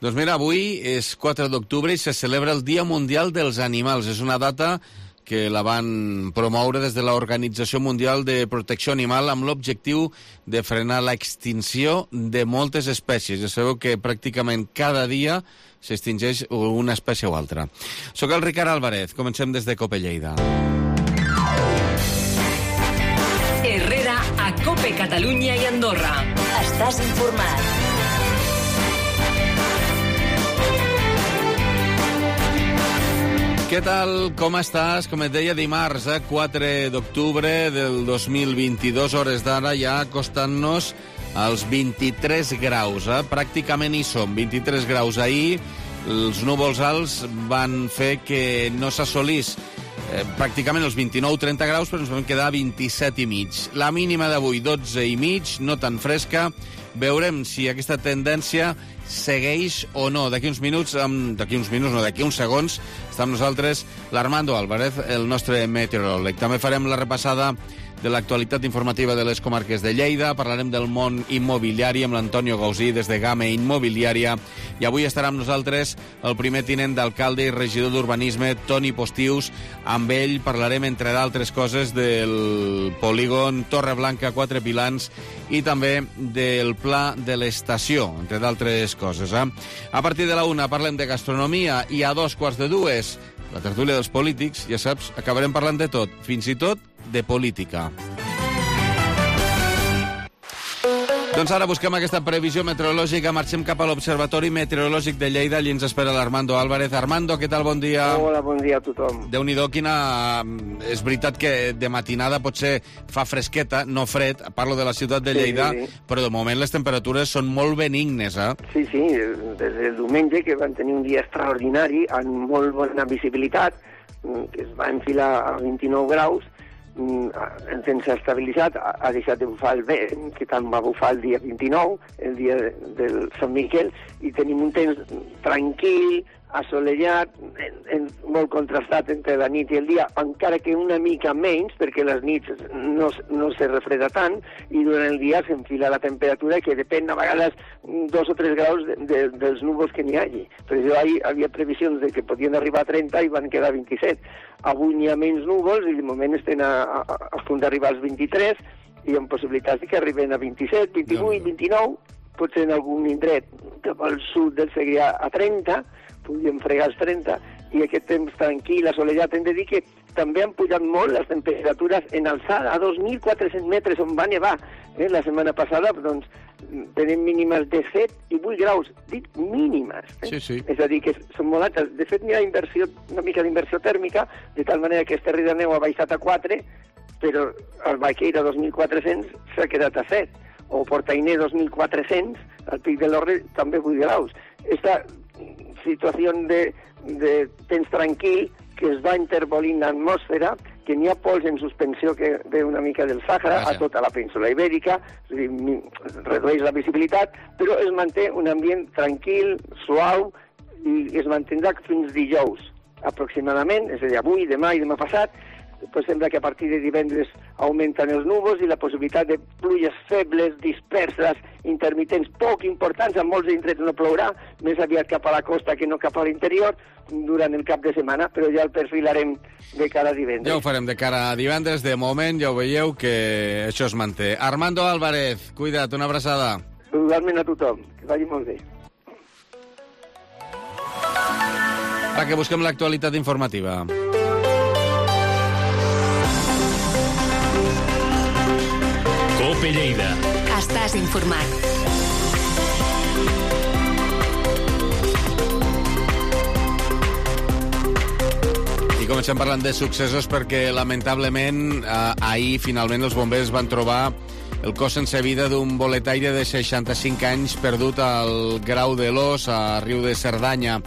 Doncs mira, avui és 4 d'octubre i se celebra el Dia Mundial dels Animals. És una data que la van promoure des de l'Organització Mundial de Protecció Animal amb l'objectiu de frenar l'extinció de moltes espècies. Ja sabeu que pràcticament cada dia s'extingeix una espècie o altra. Soc el Ricard Álvarez. Comencem des de COPE Lleida. Herrera a COPE Catalunya i Andorra. Estàs informat. Què tal? Com estàs? Com et deia, dimarts, 4 d'octubre del 2022, hores d'ara, ja acostant-nos als 23 graus. Pràcticament hi som, 23 graus. Ahir els núvols alts van fer que no s'assolís pràcticament els 29-30 graus, però ens vam quedar a 27 i mig. La mínima d'avui, 12 i mig, no tan fresca. Veurem si aquesta tendència segueix o no. D'aquí uns segons, està amb nosaltres l'Armando Álvarez, el nostre meteoròleg. També farem la repassada de l'actualitat informativa de les comarques de Lleida, parlarem del món immobiliari amb l'Antonio Gausí des de Game Immobiliària, i avui estarà amb nosaltres el primer tinent d'alcalde i regidor d'urbanisme, Toni Postius. Amb ell parlarem, entre d'altres coses, del polígon Torreblanca, Quatre Pilans, i també del pla de l'estació, entre d'altres coses. A partir de la 1 parlem de gastronomia i a 2:45 la tertúlia dels polítics. Ja saps, acabarem parlant de tot, fins i tot de política. Doncs ara busquem aquesta previsió meteorològica. Marxem cap a l'Observatori Meteorològic de Lleida. Allí ens espera l'Armando Álvarez. Armando, què tal? Bon dia. Hola, bon dia a tothom. Déu-n'hi-do, quina... És veritat que de matinada potser fa fresqueta, no fred, parlo de la ciutat de Lleida, sí. Però de moment les temperatures són molt benignes, Sí, des del diumenge, que van tenir un dia extraordinari, amb molt bona visibilitat, que es va enfilar a 29 graus, el temps s'ha estabilitzat, ha deixat de bufar el vent, que tant va bufar el dia 29, el dia del Sant Miquel, i tenim un temps tranquil, assolellat, molt contrastat entre la nit i el dia, encara que una mica menys, perquè les nits no se refreda tant, i durant el dia s'enfila la temperatura, que depèn a vegades 2 o 3 graus dels núvols que n'hi hagi. Per això hi havia previsions de que podien arribar a 30 i van quedar 27. Avui n'hi ha menys núvols i de moment estem a punt d'arribar als 23 i amb possibilitats que arriben a 27, 28, 29, potser en algun indret cap al sud del Segrià a 30, podríem fregar els 30, i aquest temps tranquil, assolellat. Hem de dir que també han pujat molt les temperatures en alçada, a 2.400 metres, on va nevar. La setmana passada, doncs, tenim mínimes de 7 i 8 graus, dic mínimes. Sí. És a dir, que són molt altes. De fet, n'hi ha una mica d'inversió tèrmica, de tal manera que Esterri d'Àneu ha baixat a 4, però el Baqueira 2.400 s'ha quedat a 7. O Portainer 2.400, al Pic de l'Orre també 8 graus. Esta situació de temps tranquil que es va intervolint l'atmosfera, que n'hi ha pols en suspensió que ve una mica del Sàhara a tota la península ibèrica, és a dir, redueix la visibilitat, però es manté un ambient tranquil, suau, i es mantindrà fins dijous, aproximadament, és a dir, avui, demà i demà passat. Pues sembla que a partir de divendres augmenten els núvols i la possibilitat de pluges febles, disperses, intermitents, poc importants, en molts indrets no plourà, més aviat cap a la costa que no cap a l'interior, durant el cap de setmana, però ja el perfilarem de cara a divendres. Ja ho farem de cara a divendres. De moment ja ho veieu que això es manté. Armando Álvarez, cuida't, una abraçada. Igualment a tothom, que vagi molt bé. Va, que busquem l'actualitat informativa. COPE Lleida. Estàs informat. I comencem parlant de successos perquè, lamentablement, ahir, finalment, els bombers van trobar el cos sense vida d'un boletaire de 65 anys perdut al Grau de l'Os, a Riu de Cerdanya.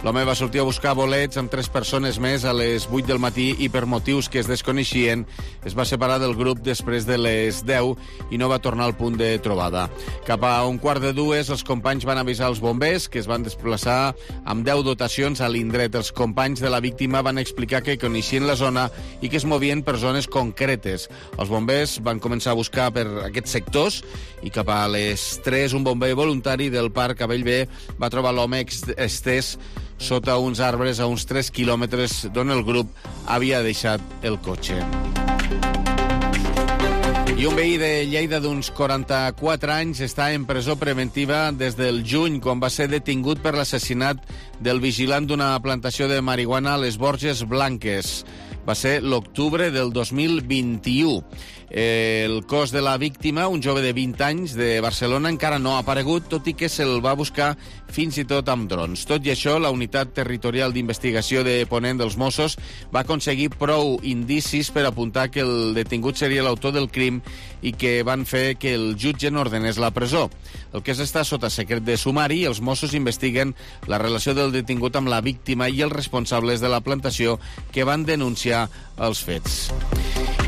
L'home va sortir a buscar bolets amb 3 persones més a les 8 del matí i per motius que es desconeixien es va separar del grup després de les 10 i no va tornar al punt de trobada. Cap a 1:15 els companys van avisar els bombers, que es van desplaçar amb 10 dotacions a l'indret. Els companys de la víctima van explicar que coneixien la zona i que es movien per zones concretes. Els bombers van començar a buscar per aquests sectors i cap a les 3 un bomber voluntari del Parc a Bellver va trobar l'home estès sota uns arbres a uns 3 quilòmetres d'on el grup havia deixat el cotxe. I un veí de Lleida d'uns 44 anys està en presó preventiva des del juny, quan va ser detingut per l'assassinat del vigilant d'una plantació de marihuana a les Borges Blanques. Va ser l'octubre del 2021. El cos de la víctima, un jove de 20 anys de Barcelona, encara no ha aparegut, tot i que se'l va buscar fins i tot amb drons. Tot i això, la Unitat Territorial d'Investigació de Ponent dels Mossos va aconseguir prou indicis per apuntar que el detingut seria l'autor del crim i que van fer que el jutge n'ordenés la presó. El cas està sota secret de sumari i els Mossos investiguen la relació del detingut amb la víctima i els responsables de la plantació que van denunciar els fets.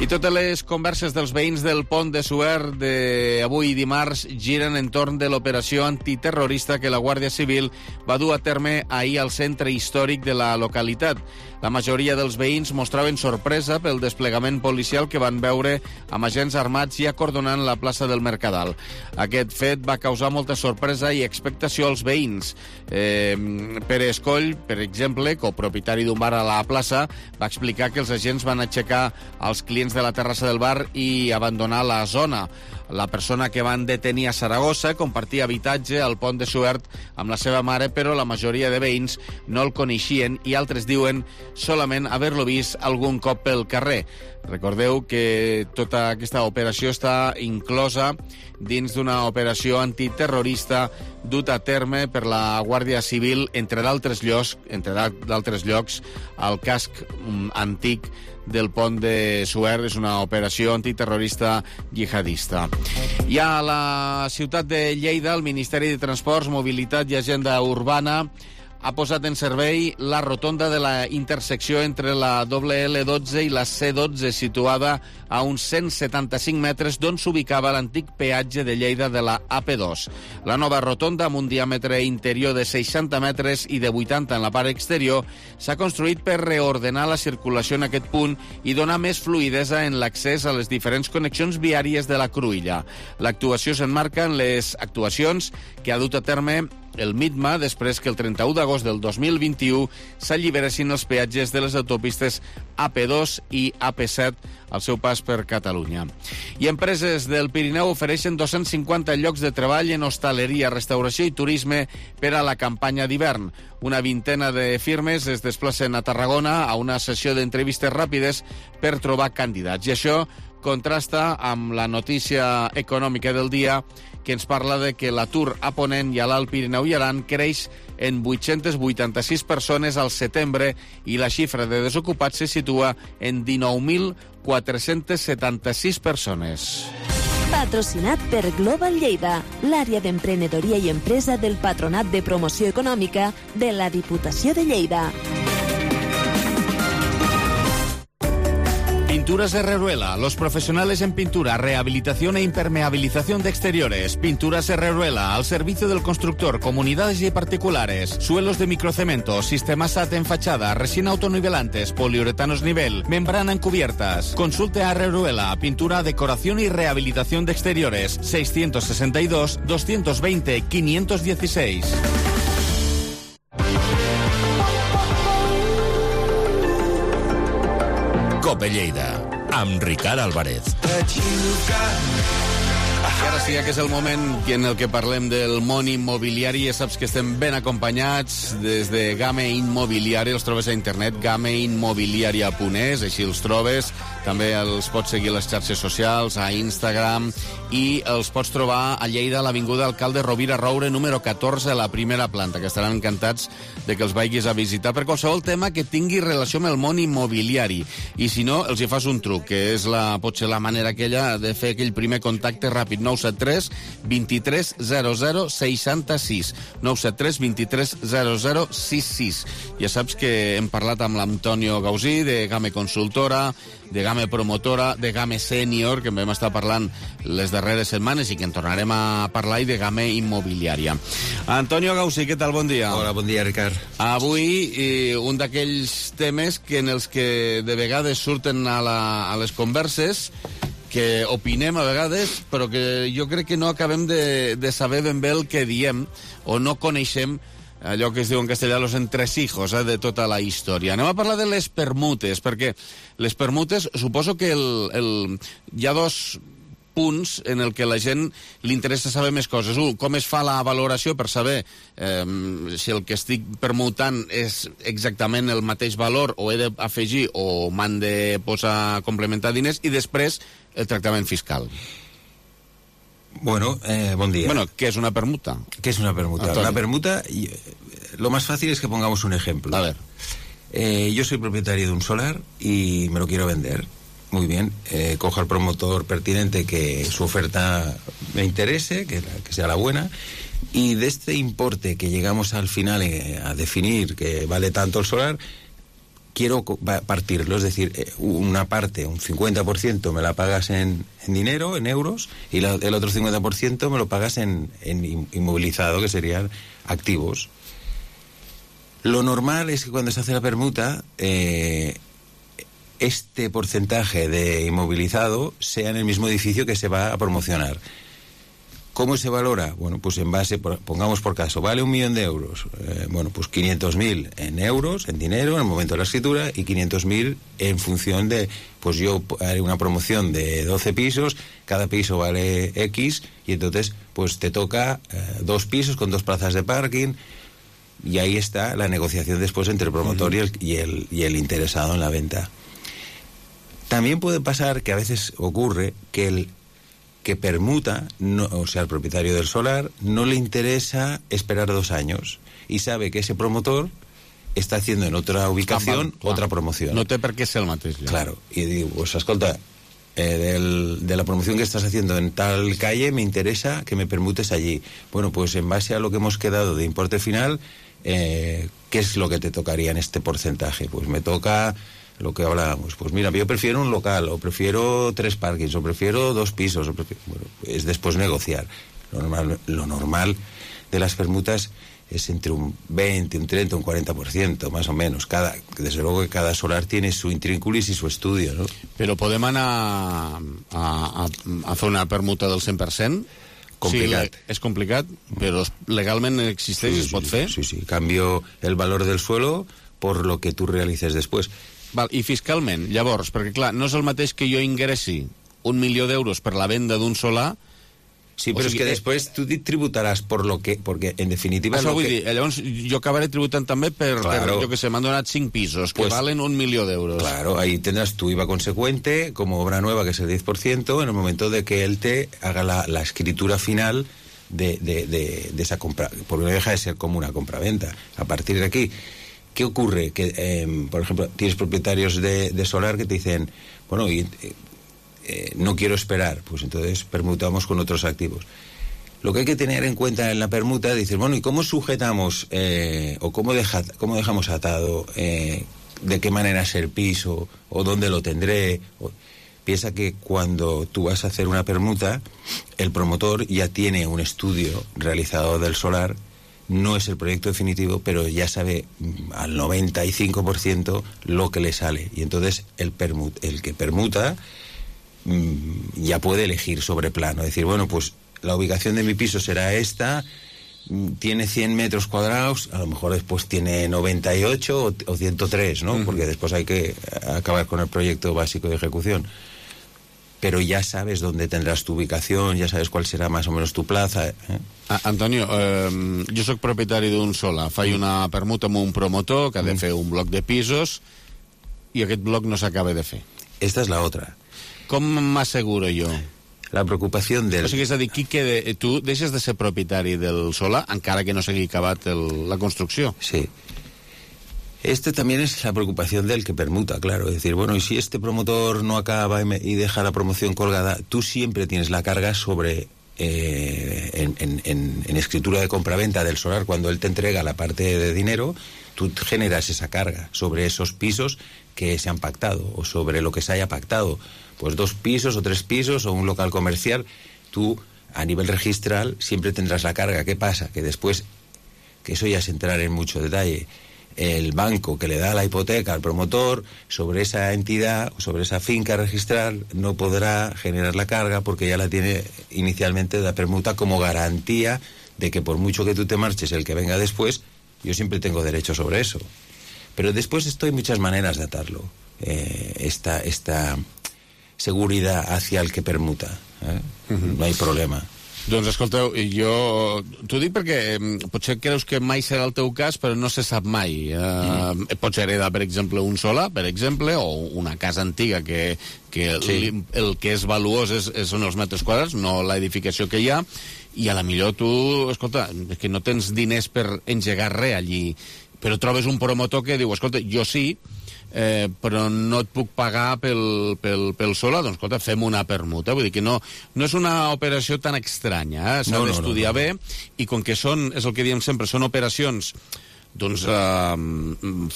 I totes les converses dels veïns del pont de Suert d'avui dimarts giren entorn de l'operació antiterrorista que la Guàrdia Civil va dur a terme ahir al centre històric de la localitat. La majoria dels veïns mostraven sorpresa pel desplegament policial que van veure amb agents armats i acordonant la plaça del Mercadal. Aquest fet va causar molta sorpresa i expectació als veïns. Pere Escoll, per exemple, copropietari d'un bar a la plaça, va explicar que els agents van aixecar els clients de la terrassa del bar i abandonar la zona. La persona que van detenir a Saragossa compartia habitatge al pont de Suert amb la seva mare, però la majoria de veïns no el coneixien i altres diuen solament haver-lo vist algun cop pel carrer. Recordeu que tota aquesta operació està inclosa dins d'una operació antiterrorista duta a terme per la Guàrdia Civil, entre d'altres llocs, al casc antic del pont de Suert. És una operació antiterrorista jihadista. I a la ciutat de Lleida, el Ministeri de Transports, Mobilitat i Agenda Urbana ha posat en servei la rotonda de la intersecció entre la L12 i la C12, situada a uns 175 metres d'on s'ubicava l'antic peatge de Lleida de la AP2. La nova rotonda, amb un diàmetre interior de 60 metres i de 80 en la part exterior, s'ha construït per reordenar la circulació en aquest punt i donar més fluïdesa en l'accés a les diferents connexions viàries de la Cruïlla. L'actuació s'emmarca en les actuacions que ha dut a terme el MITMA després que el 31 d'agost del 2021 s'alliberessin els peatges de les autopistes AP2 i AP7 al seu pas per Catalunya. I empreses del Pirineu ofereixen 250 llocs de treball en hostaleria, restauració i turisme per a la campanya d'hivern. Una vintena de firmes es desplacen a Tarragona a una sessió d'entrevistes ràpides per trobar candidats. I això contrasta amb la notícia econòmica del dia, que ens parla de que l'atur a Ponent i a l'Alt Pirineu i Aran creix en 886 persones al setembre i la xifra de desocupats se situa en 19.476 persones. Patrocinat per Global Lleida, l'àrea d'emprenedoria i empresa del Patronat de Promoció Econòmica de la Diputació de Lleida. Pinturas Herreruela, los profesionales en pintura, rehabilitación e impermeabilización de exteriores. Pinturas Herreruela, al servicio del constructor, comunidades y particulares. Suelos de microcemento, sistema SAT en fachada, resina autonivelantes, poliuretanos nivel, membrana en cubiertas. Consulte a Herreruela, pintura, decoración y rehabilitación de exteriores. 662-220-516. Cope Lleida, amb Ricard Álvarez. I ara sí que és el moment en el que parlem del món immobiliari. Ja saps que estem ben acompanyats des de Game Immobiliari. Els trobes a internet, gameimmobiliaria.es, així els trobes. També els pots seguir a les xarxes socials, a Instagram, i els pots trobar a Lleida, a l'Avinguda Alcalde Rovira Roure, número 14, a la primera planta, que estaran encantats de que els vagis a visitar per qualsevol tema que tingui relació amb el món immobiliari. I si no, els hi fas un truc, que és potser la manera aquella de fer aquell primer contacte ràpid. 973 23 00 66. 973 23 00 66. Ja saps que hem parlat amb l'Antonio Gausí de Game Consultora, de Game Promotora, de Game Senior, que en vam estar parlant les darreres setmanes i que en tornarem a parlar, i de Game Immobiliària. Antonio Gausí, què tal? Bon dia. Hola, bon dia, Ricard. Avui, un d'aquells temes en els que de vegades surten a les converses, que opinem a vegades, però que jo crec que no acabem de saber ben bé el que diem, o no coneixem allò que es diu en castellà los entresijos de tota la història. Anem a parlar de les permutes, perquè les permutes, suposo que hi ha dos punts en el que la gent li interessa saber més coses. Un, com es fa la valoració per saber si el que estic permutant és exactament el mateix valor, o he d'afegir o m'han de posar complementar diners, i després el tractament fiscal. Bueno, buen día. Bueno, ¿qué es una permuta? ¿Qué es una permuta? Antonio. Una permuta, lo más fácil es que pongamos un ejemplo. A ver. Yo soy propietario de un solar y me lo quiero vender. Muy bien, cojo al promotor pertinente que su oferta me interese, que sea la buena, y de este importe que llegamos al final a definir que vale tanto el solar, quiero partirlo, es decir, una parte, un 50% me la pagas en dinero, en euros, y el otro 50% me lo pagas en inmovilizado, que serían activos. Lo normal es que cuando se hace la permuta, este porcentaje de inmovilizado sea en el mismo edificio que se va a promocionar. ¿Cómo se valora? Bueno, pues en base, pongamos por caso, vale 1.000.000 euros. Bueno, pues 500.000 en euros, en dinero, en el momento de la escritura, y 500.000 en función de, pues yo haré una promoción de 12 pisos, cada piso vale X, y entonces pues te toca 2 pisos con 2 plazas de parking, y ahí está la negociación después entre el promotor y el interesado en la venta. También puede pasar que a veces ocurre que el que permuta, no, o sea, el propietario del solar, no le interesa esperar 2 años y sabe que ese promotor está haciendo en otra ubicación otra promoción. No té per què ser el mateix. Ja. Claro, y digo, pues escolta, de la promoción que estás haciendo en tal calle me interesa que me permutes allí. Bueno, pues en base a lo que hemos quedado de importe final, ¿qué es lo que te tocaría en este porcentaje? Pues me toca lo que hablábamos, pues mira, yo prefiero un local, o prefiero 3 parkings, o prefiero 2 pisos, bueno, es después negociar. Lo normal de las permutas es entre un 20, un 30, un 40%, más o menos. Desde luego que cada solar tiene su intrínculis y su estudio, ¿no? Però podem anar a fer una permuta del 100%? Complicat. Sí, és complicat, però legalment existeix, es pot fer? Sí. Cambio el valor del suelo por lo que tú realices después. Val, i fiscalment, llavors, perquè clar, no és el mateix que jo ingressi 1.000.000 d'euros per la venda d'un solar. Sí, però és que després tu tributaràs perquè en definitiva... Això vull dir, llavors jo acabaré tributant també per jo que sé, m'han donat 5 pisos que valen 1.000.000 d'euros. Claro, ahí tendrás tu IVA consecuente como obra nueva, que es el 10%, en el momento de que él te haga la escritura final de esa compra, porque no deja de ser como una compraventa. A partir de aquí, ¿qué ocurre? Que, por ejemplo, tienes propietarios de solar que te dicen, bueno, no quiero esperar, pues entonces permutamos con otros activos. Lo que hay que tener en cuenta en la permuta, dices, bueno, ¿y cómo sujetamos o cómo dejamos atado, de qué manera es el piso, o dónde lo tendré? Piensa que cuando tú vas a hacer una permuta, el promotor ya tiene un estudio realizado del solar. No es el proyecto definitivo, pero ya sabe al 95% lo que le sale. Y entonces el que permuta ya puede elegir sobre plano. Decir, bueno, pues la ubicación de mi piso será esta, tiene 100 metros cuadrados, a lo mejor después tiene 98 o 103, ¿no? Porque después hay que acabar con el proyecto básico de ejecución. Pero ya sabes dónde tendrás tu ubicación, ya sabes cuál será más o menos tu plaza. Antonio, jo sóc propietari d'un solar, faig una permuta amb un promotor que ha de fer un bloc de pisos i aquest bloc no s'acaba de fer. Esta es la otra. Com m'asseguro jo? La preocupación del... O sigui, és a dir, tu deixes de ser propietari del solar encara que no s'hagi acabat la construcció. Sí. También es la preocupación del que permuta, claro. Es decir, bueno, y si este promotor no acaba y deja la promoción colgada, tú siempre tienes la carga sobre en escritura de compraventa del solar, cuando él te entrega la parte de dinero, tú generas esa carga sobre esos pisos que se han pactado o sobre lo que se haya pactado. Pues 2 pisos o 3 pisos o un local comercial, tú a nivel registral siempre tendrás la carga. ¿Qué pasa? Que después, que eso ya es entrar en mucho detalle, el banco que le da la hipoteca al promotor sobre esa entidad, sobre esa finca registral, no podrá generar la carga porque ya la tiene inicialmente de la permuta como garantía de que por mucho que tú te marches, el que venga después, yo siempre tengo derecho sobre eso. Pero después hay muchas maneras de atarlo, esta seguridad hacia el que permuta, no hay problema. Doncs escolteu, t'ho dic perquè potser creus que mai serà el teu cas, però no se sap mai. Pots heredar, per exemple, un solar, per exemple, o una casa antiga que el que és valuós són els metres quadrats, no l'edificació que hi ha, i a la millor tu, escolta, és que no tens diners per engegar res allí, però trobes un promotor que diu, escolta, jo sí, però no et puc pagar pel solar, doncs escolta, fem una permuta. Vull dir que no és una operació tan estranya, s'ha d'estudiar bé, i com que és el que diem sempre, són operacions doncs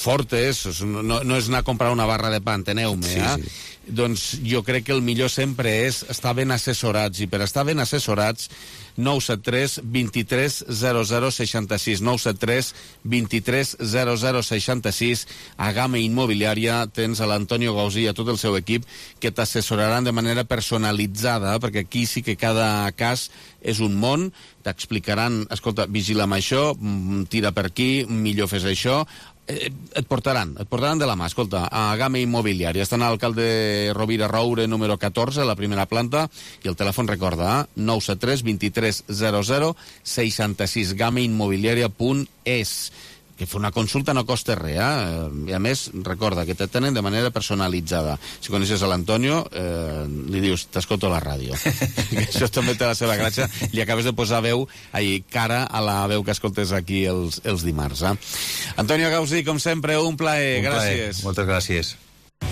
fortes, no és anar a comprar una barra de pa, enteneu-me, doncs jo crec que el millor sempre és estar ben assessorats, i per estar ben assessorats 973 23 00 66 973 23 00 66. A Gama Immobiliària tens a l'Antonio Gausí i a tot el seu equip que t'assessoraran de manera personalitzada, perquè aquí sí que cada cas és un món, t'explicaran, escolta, vigila amb això, tira per aquí, millor fes això, et portaran de la mà, escolta, a Gama Immobiliària. Estan a l'alcalde Rovira Roure, número 14, a la primera planta, i el telèfon, recorda, 973 23 00 66, gamaimmobiliària.es. Que fer una consulta no costa res, i a més, recorda que te tenen de manera personalitzada. Si coneixes a l'Antonio, li dius, t'escolto a la ràdio. Això també té la seva gràcia, li acabes de posar cara a la veu que escoltes aquí els dimarts. Antonio Gausí, com sempre, un plaer. Gràcies. Moltes gràcies.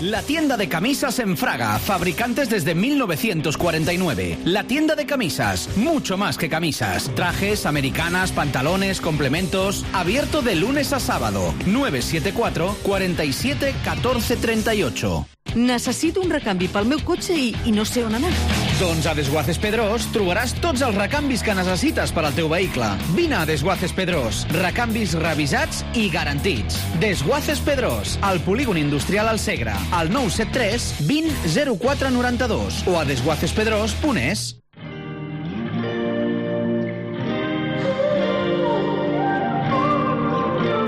La tienda de camisas en Fraga, fabricantes desde 1949. La tienda de camisas, mucho más que camisas. Trajes, americanas, pantalones, complementos. Abierto de lunes a sábado. 974 47 14 38. Necessito un recanvi pel meu cotxe i no sé on anar. Doncs a Desguaces Pedrós trobaràs tots els recanvis que necessites per al teu vehicle. Vine a Desguaces Pedrós. Recanvis revisats i garantits. Desguaces Pedrós, al polígon industrial al Segre, al 973 20 04 92 o a desguacespedrós.es.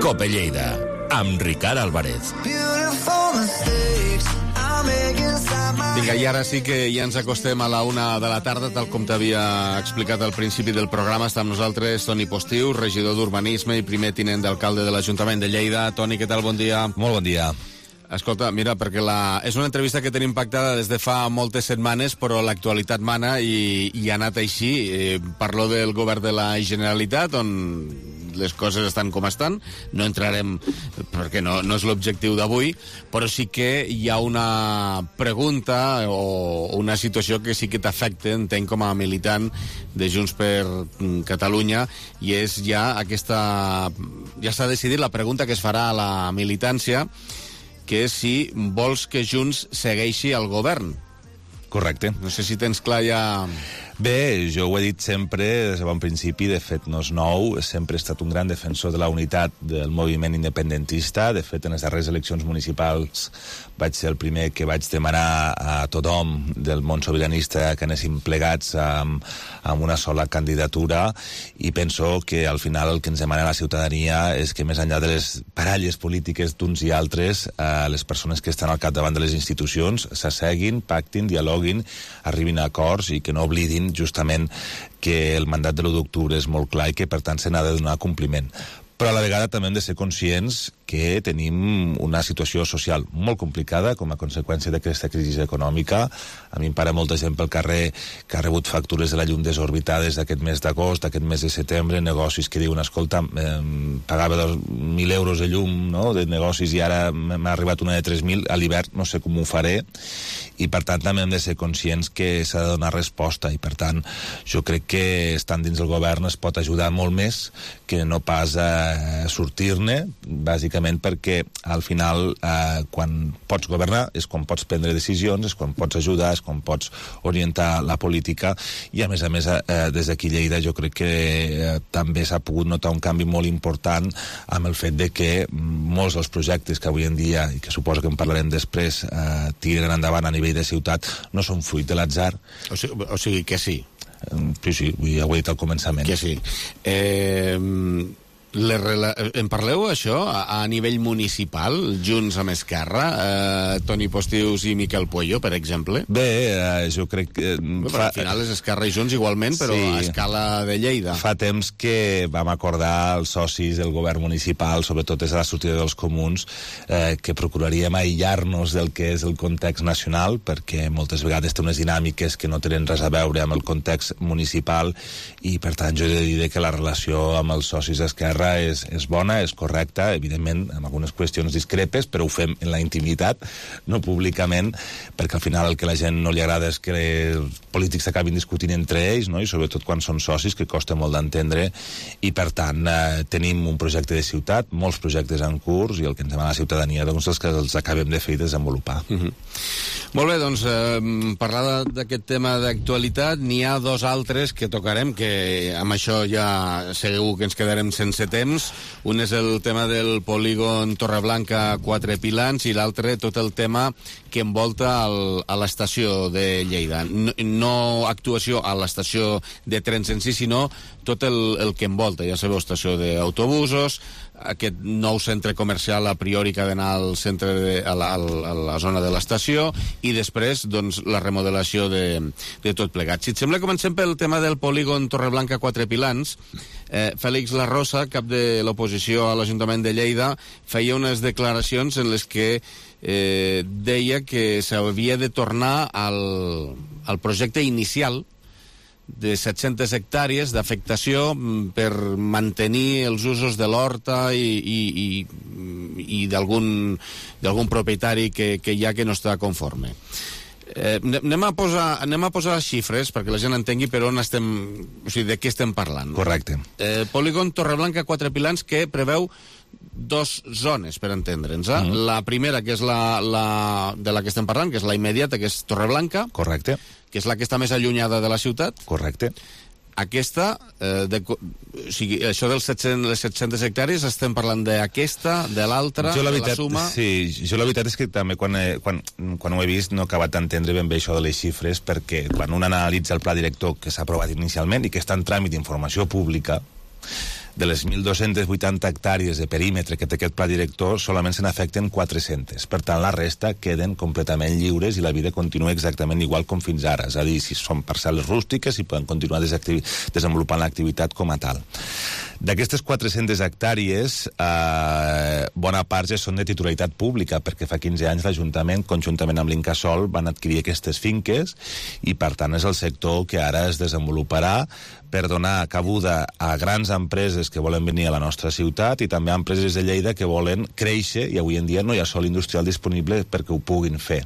Cope Lleida, amb Ricard Álvarez. Vinga, i ara sí que ja ens acostem a la 1 de la tarda, tal com t'havia explicat al principi del programa. Està amb nosaltres Toni Postiu, regidor d'Urbanisme i primer tinent d'alcalde de l'Ajuntament de Lleida. Toni, què tal? Bon dia. Molt bon dia. Escolta, mira, perquè és una entrevista que tenim pactada des de fa moltes setmanes, però l'actualitat mana i ha anat així. Parlo del govern de la Generalitat, on les coses estan com estan. No entrarem, perquè no és l'objectiu d'avui, però sí que hi ha una pregunta o una situació que sí que t'afecta, entenc, com a militant de Junts per Catalunya, i és ja ja s'ha decidit la pregunta que es farà a la militància, que és si vols que Junts segueixi al govern. Correcte. No sé si tens clar ja... Bé, jo ho he dit sempre des de bon principi, de fet no és nou, sempre he estat un gran defensor de la unitat del moviment independentista. De fet, en les darreres eleccions municipals vaig ser el primer que vaig demanar a tothom del món sobiranista que anéssim plegats amb una sola candidatura, i penso que al final el que ens demana la ciutadania és que més enllà de les baralles polítiques d'uns i altres, les persones que estan al capdavant de les institucions s'asseguin, pactin, dialoguin, arribin a acords i que no oblidin justament que el mandat de l'1 d'octubre és molt clar i que per tant se n'ha de donar compliment. Però a la vegada també hem de ser conscients que tenim una situació social molt complicada com a conseqüència d'aquesta crisi econòmica. A mi em para molta gent pel carrer que ha rebut factures de la llum desorbitades d'aquest mes d'agost, d'aquest mes de setembre, negocis que diuen, escolta, pagava 1.000 euros de llum, no?, de negocis, i ara m'ha arribat una de 3.000, a l'hivern no sé com ho faré, i per tant també hem de ser conscients que s'ha de donar resposta, i per tant jo crec que estant dins del govern es pot ajudar molt més que no pas a sortir-ne, bàsicament perquè al final quan pots governar és quan pots prendre decisions, és quan pots ajudar, és quan pots orientar la política, i a més des d'aquí Lleida jo crec que també s'ha pogut notar un canvi molt important amb el fet de que molts dels projectes que avui en dia, i que suposo que en parlarem després, tiren endavant a nivell de ciutat, no són fruit de l'atzar. O sigui que sí. Sí, ja ho he dit al començament. Que sí. En parleu, això, a nivell municipal, Junts amb Esquerra, Toni Postius i Miquel Puello, per exemple? Bé, jo crec que... Al final és Esquerra i Junts igualment, però a escala de Lleida. Fa temps que vam acordar els socis del govern municipal, sobretot des de la sortida dels comuns, que procuraríem aïllar-nos del que és el context nacional, perquè moltes vegades té unes dinàmiques que no tenen res a veure amb el context municipal, i per tant jo he de dir que la relació amb els socis d'Esquerra és bona, és correcta, evidentment amb algunes qüestions discrepes, però ho fem en la intimitat, no públicament, perquè al final el que a la gent no li agrada és que els polítics s'acabin discutint entre ells, no?, i sobretot quan són socis, que costa molt d'entendre, i per tant tenim un projecte de ciutat, molts projectes en curs, i el que ens demana la ciutadania doncs és que els acabem de fer i desenvolupar. Molt bé, doncs parlar d'aquest tema d'actualitat, n'hi ha dos altres que tocarem, que amb això ja segur que ens quedarem sense temps. Un és el tema del polígon Torreblanca 4 Pilans i l'altre tot el tema que envolta a l'estació de Lleida. No actuació a l'estació de trens en si, sinó tot el que envolta. Ja sabeu, estació d'autobusos, aquest nou centre comercial a priori que ha d'anar al centre a la zona de l'estació, i després doncs la remodelació de tot plegat. Si et sembla, comencem pel tema del polígon Torreblanca 4 Pilans. Fèlix Larrosa, cap de l'oposició a l'Ajuntament de Lleida, feia unes declaracions en les que deia que s'havia de tornar al projecte inicial de 700 hectàrees d'afectació per mantenir els usos de l'horta i d'algun propietari que hi ha que no està conforme. Anem a posar xifres perquè la gent entengui per on estem, o sigui, de què estem parlant. Correcte. Polígon Torreblanca 4 Pilans, que preveu dos zones, per entendre'ns. La primera, que és de la que estem parlant, que és la immediata, que és Torreblanca. Correcte. Que és la que està més allunyada de la ciutat. Correcte. Aquesta, o sigui, això dels 700 hectàrees, estem parlant d'aquesta, de l'altra, de la suma... Sí, jo la veritat és que també quan ho he vist no he acabat d'entendre ben bé això de les xifres, perquè quan un analitza el pla director que s'ha aprovat inicialment i que està en tràmit d'informació pública, de les 1.280 hectàrees de perímetre que té aquest pla director, solament se n'afecten 400. Per tant, la resta queden completament lliures i la vida continua exactament igual com fins ara. És a dir, si són parcel·les rústiques i poden continuar desenvolupant l'activitat com a tal. D'aquestes 400 hectàrees, bona part ja són de titularitat pública, perquè fa 15 anys l'Ajuntament, conjuntament amb l'Incasòl, van adquirir aquestes finques i, per tant, és el sector que ara es desenvoluparà per donar cabuda a grans empreses que volen venir a la nostra ciutat i també a empreses de Lleida que volen créixer, i avui en dia no hi ha sòl industrial disponible perquè ho puguin fer.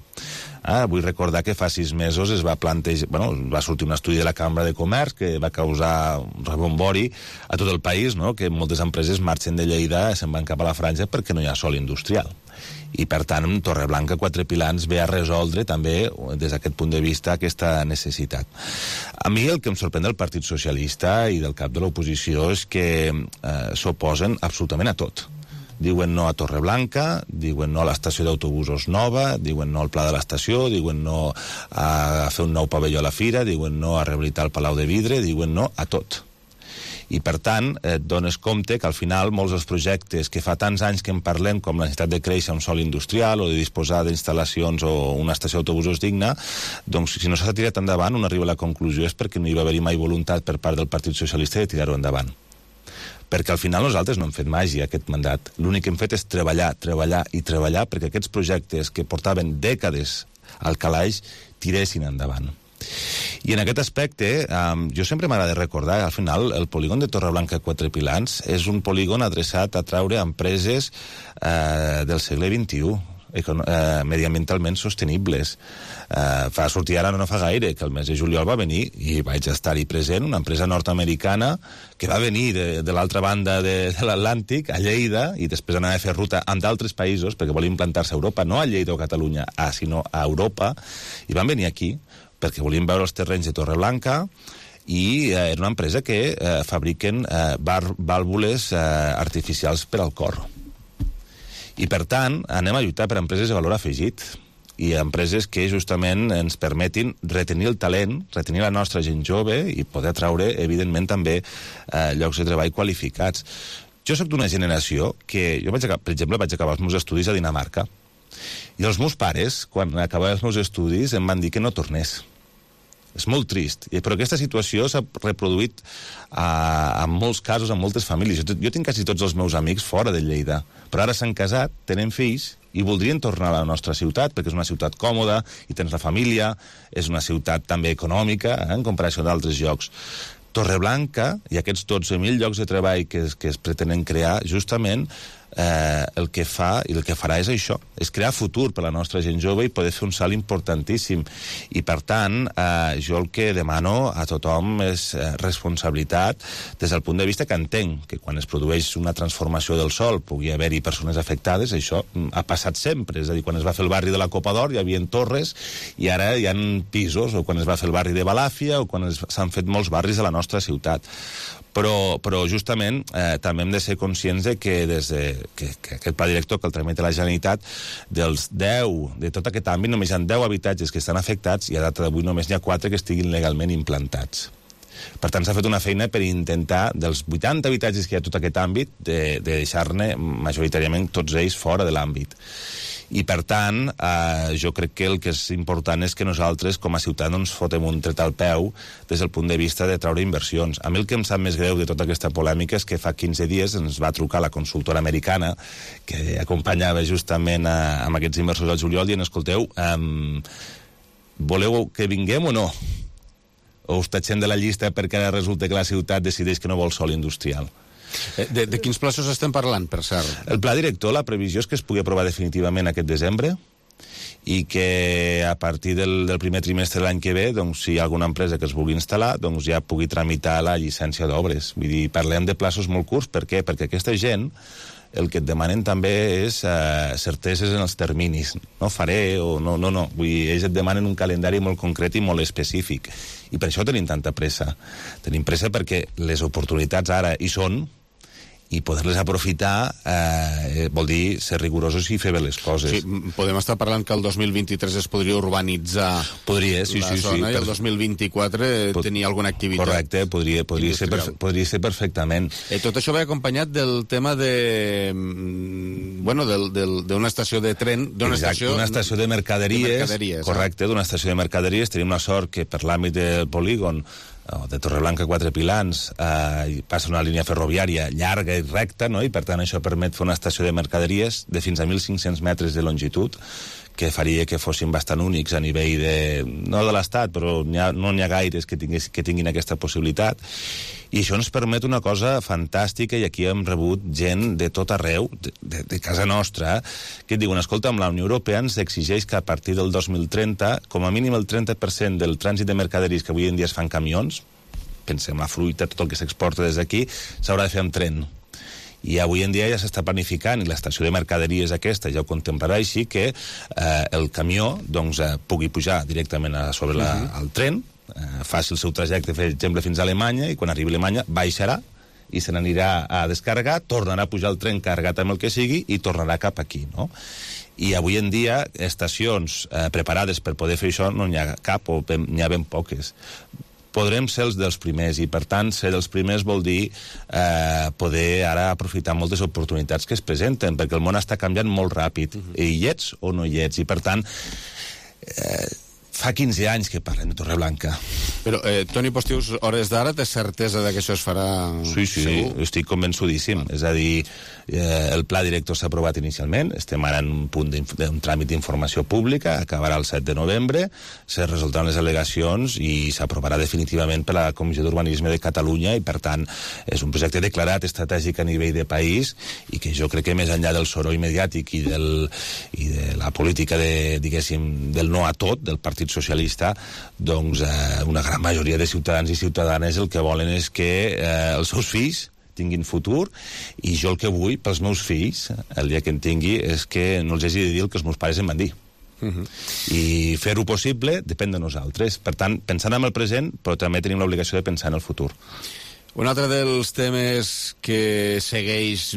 Vull recordar que fa 6 mesos es va plantejar, va sortir un estudi de la Cambra de Comerç que va causar un rebombori a tot el país, no?, que moltes empreses marxen de Lleida i se'n van cap a la franja perquè no hi ha sòl industrial. I, per tant, Torreblanca 4 Pilans ve a resoldre també, des d'aquest punt de vista, aquesta necessitat. A mi el que em sorprèn del Partit Socialista i del cap de l'oposició és que s'oposen absolutament a tot. Diuen no a Torreblanca, diuen no a l'estació d'autobusos nova, diuen no al pla de l'estació, diuen no a fer un nou pavelló a la fira, diuen no a rehabilitar el Palau de Vidre, diuen no a tot. I, per tant, et dones compte que al final molts dels projectes que fa tants anys que en parlem, com la necessitat de créixer un sòl industrial o de disposar d'instal·lacions o una estació d'autobusos digna, doncs si no s'ha tirat endavant, un arriba a la conclusió és perquè no hi va haver mai voluntat per part del Partit Socialista de tirar-ho endavant. perquè al final nosaltres no hem fet màgia aquest mandat. L'únic que hem fet és treballar, treballar i treballar perquè aquests projectes que portaven dècades al calaix tiressin endavant. I en aquest aspecte, jo sempre m'agrada recordar, al final, el polígon de Torreblanca 4 Pilans és un polígon adreçat a traure empreses del segle XXI, mediambientalment sostenibles. Fa sortir ara no fa gaire, que el mes de juliol va venir, i vaig estar-hi present, una empresa nord-americana que va venir de l'altra banda de l'Atlàntic, a Lleida, i després anava a fer ruta amb d'altres països, perquè volia implantar-se a Europa, no a Lleida o Catalunya, sinó a Europa, i van venir aquí, perquè volien veure els terrenys de Torreblanca, i era una empresa que fabriquen vàlvules artificials per al cor. I, per tant, anem a lluitar per empreses de valor afegit i empreses que justament ens permetin retenir el talent, retenir la nostra gent jove i poder atraure, evidentment, també llocs de treball qualificats. Jo sóc d'una generació que... Jo, per exemple, vaig acabar els meus estudis a Dinamarca i els meus pares, quan acabava els meus estudis, em van dir que no tornés. És molt trist, però aquesta situació s'ha reproduït en molts casos, en moltes famílies. Jo tinc quasi tots els meus amics fora de Lleida, però ara s'han casat, tenen fills i voldrien tornar a la nostra ciutat, perquè és una ciutat còmoda, i tens la família, és una ciutat també econòmica, en comparació d'altres llocs. Torreblanca i aquests 12.000 llocs de treball que es pretenen crear, justament el que fa i el que farà és això, és crear futur per a la nostra gent jove i poder fer un salt importantíssim. I, per tant, jo el que demano a tothom és responsabilitat des del punt de vista que entenc que quan es produeix una transformació del sòl pugui haver-hi persones afectades. Això ha passat sempre, és a dir, quan es va fer el barri de la Copa d'Or hi havia torres i ara hi ha pisos, o quan es va fer el barri de Balàfia, o quan s'han fet molts barris de la nostra ciutat. Però justament també hem de ser conscients de que que aquest pla director que el tramita la Generalitat, dels 10, de tot aquest àmbit, només hi ha 10 habitatges que estan afectats i a data d'avui només n'hi ha 4 que estiguin legalment implantats. Per tant, s'ha fet una feina per intentar, dels 80 habitatges que hi ha a tot aquest àmbit, de deixar-ne majoritàriament tots ells fora de l'àmbit. I, per tant, jo crec que el que és important és que nosaltres, com a ciutat, no ens fotem un tret al peu des del punt de vista de treure inversions. A mi el que em sap més greu de tota aquesta polèmica és que fa 15 dies ens va trucar la consultora americana que acompanyava justament amb aquests inversors al juliol dient, escolteu, voleu que vinguem o no? O us tatxem de la llista perquè ara resulta que la ciutat decideix que no vol sòl industrial? De quins plaços estem parlant, per cert? El pla director, la previsió és que es pugui aprovar definitivament aquest desembre i que a partir del primer trimestre de l'any que ve, doncs, si hi ha alguna empresa que es vulgui instal·lar, doncs ja pugui tramitar la llicència d'obres. Vull dir, parlem de plaços molt curts. Per què? Perquè aquesta gent el que et demanen també és certeses en els terminis. No faré o no. Vull dir, ells et demanen un calendari molt concret i molt específic. I per això tenim tanta pressa. Tenim pressa perquè les oportunitats ara hi són, i poder-les aprofitar vol dir ser rigorosos i fer bé les coses. Sí, podem estar parlant que el 2023 es podria urbanitzar la zona i el 2024 tenir alguna activitat. Correcte, podria ser perfectament. Tot això va acompanyat del tema d'una estació de tren, d'una estació de mercaderies. Correcte, d'una estació de mercaderies. Tenim la sort que per l'àmbit del polígon de Torreblanca 4 Pilans passa una línia ferroviària llarga i recta, no? I per tant això permet fer una estació de mercaderies de fins a 1.500 metres de longitud, que faria que fossin bastant únics a nivell no de l'Estat, però no n'hi ha gaires que tinguin aquesta possibilitat. I això ens permet una cosa fantàstica, i aquí hem rebut gent de tot arreu, de casa nostra, que et diuen, escolta, amb la Unió Europea ens exigeix que a partir del 2030, com a mínim el 30% del trànsit de mercaderies que avui en dia es fan camions, pensem la fruita, tot el que s'exporta des d'aquí, s'haurà de fer amb tren. I avui en dia ja s'està planificant, i l'estació de mercaderies aquesta ja ho contemplarà així, que el camió pugui pujar directament sobre el tren, faci el seu trajecte, per exemple, fins a Alemanya, i quan arribi a Alemanya baixarà i se n'anirà a descarregar, tornarà a pujar el tren carregat amb el que sigui i tornarà cap aquí, no? I avui en dia estacions preparades per poder fer això no n'hi ha cap, o n'hi ha ben poques. Podrem ser els dels primers, i per tant ser dels primers vol dir poder ara aprofitar moltes oportunitats que es presenten, perquè el món està canviant molt ràpid, i hi ets o no hi ets, i per tant Fa 15 anys que parlem de Torreblanca. Però, Toni Postius, hores d'ara, té certesa de que això es farà? Sí, segur? Estic convençudíssim. És a dir, el pla director s'ha aprovat inicialment, estem ara en un punt d'un tràmit d'informació pública, acabarà el 7 de novembre, se resoldran les al·legacions i s'aprovarà definitivament per la Comissió d'Urbanisme de Catalunya i, per tant, és un projecte declarat estratègic a nivell de país i que jo crec que més enllà del soroll mediàtic i de la política del no a tot, del Partit Socialista, doncs una gran majoria de ciutadans i ciutadanes el que volen és que els seus fills tinguin futur, i jo el que vull pels meus fills, el dia que en tingui, és que no els hagi de dir el que els meus pares em van dir. I fer-ho possible depèn de nosaltres. Per tant, pensant en el present, però també tenim l'obligació de pensar en el futur. Un altre dels temes que segueix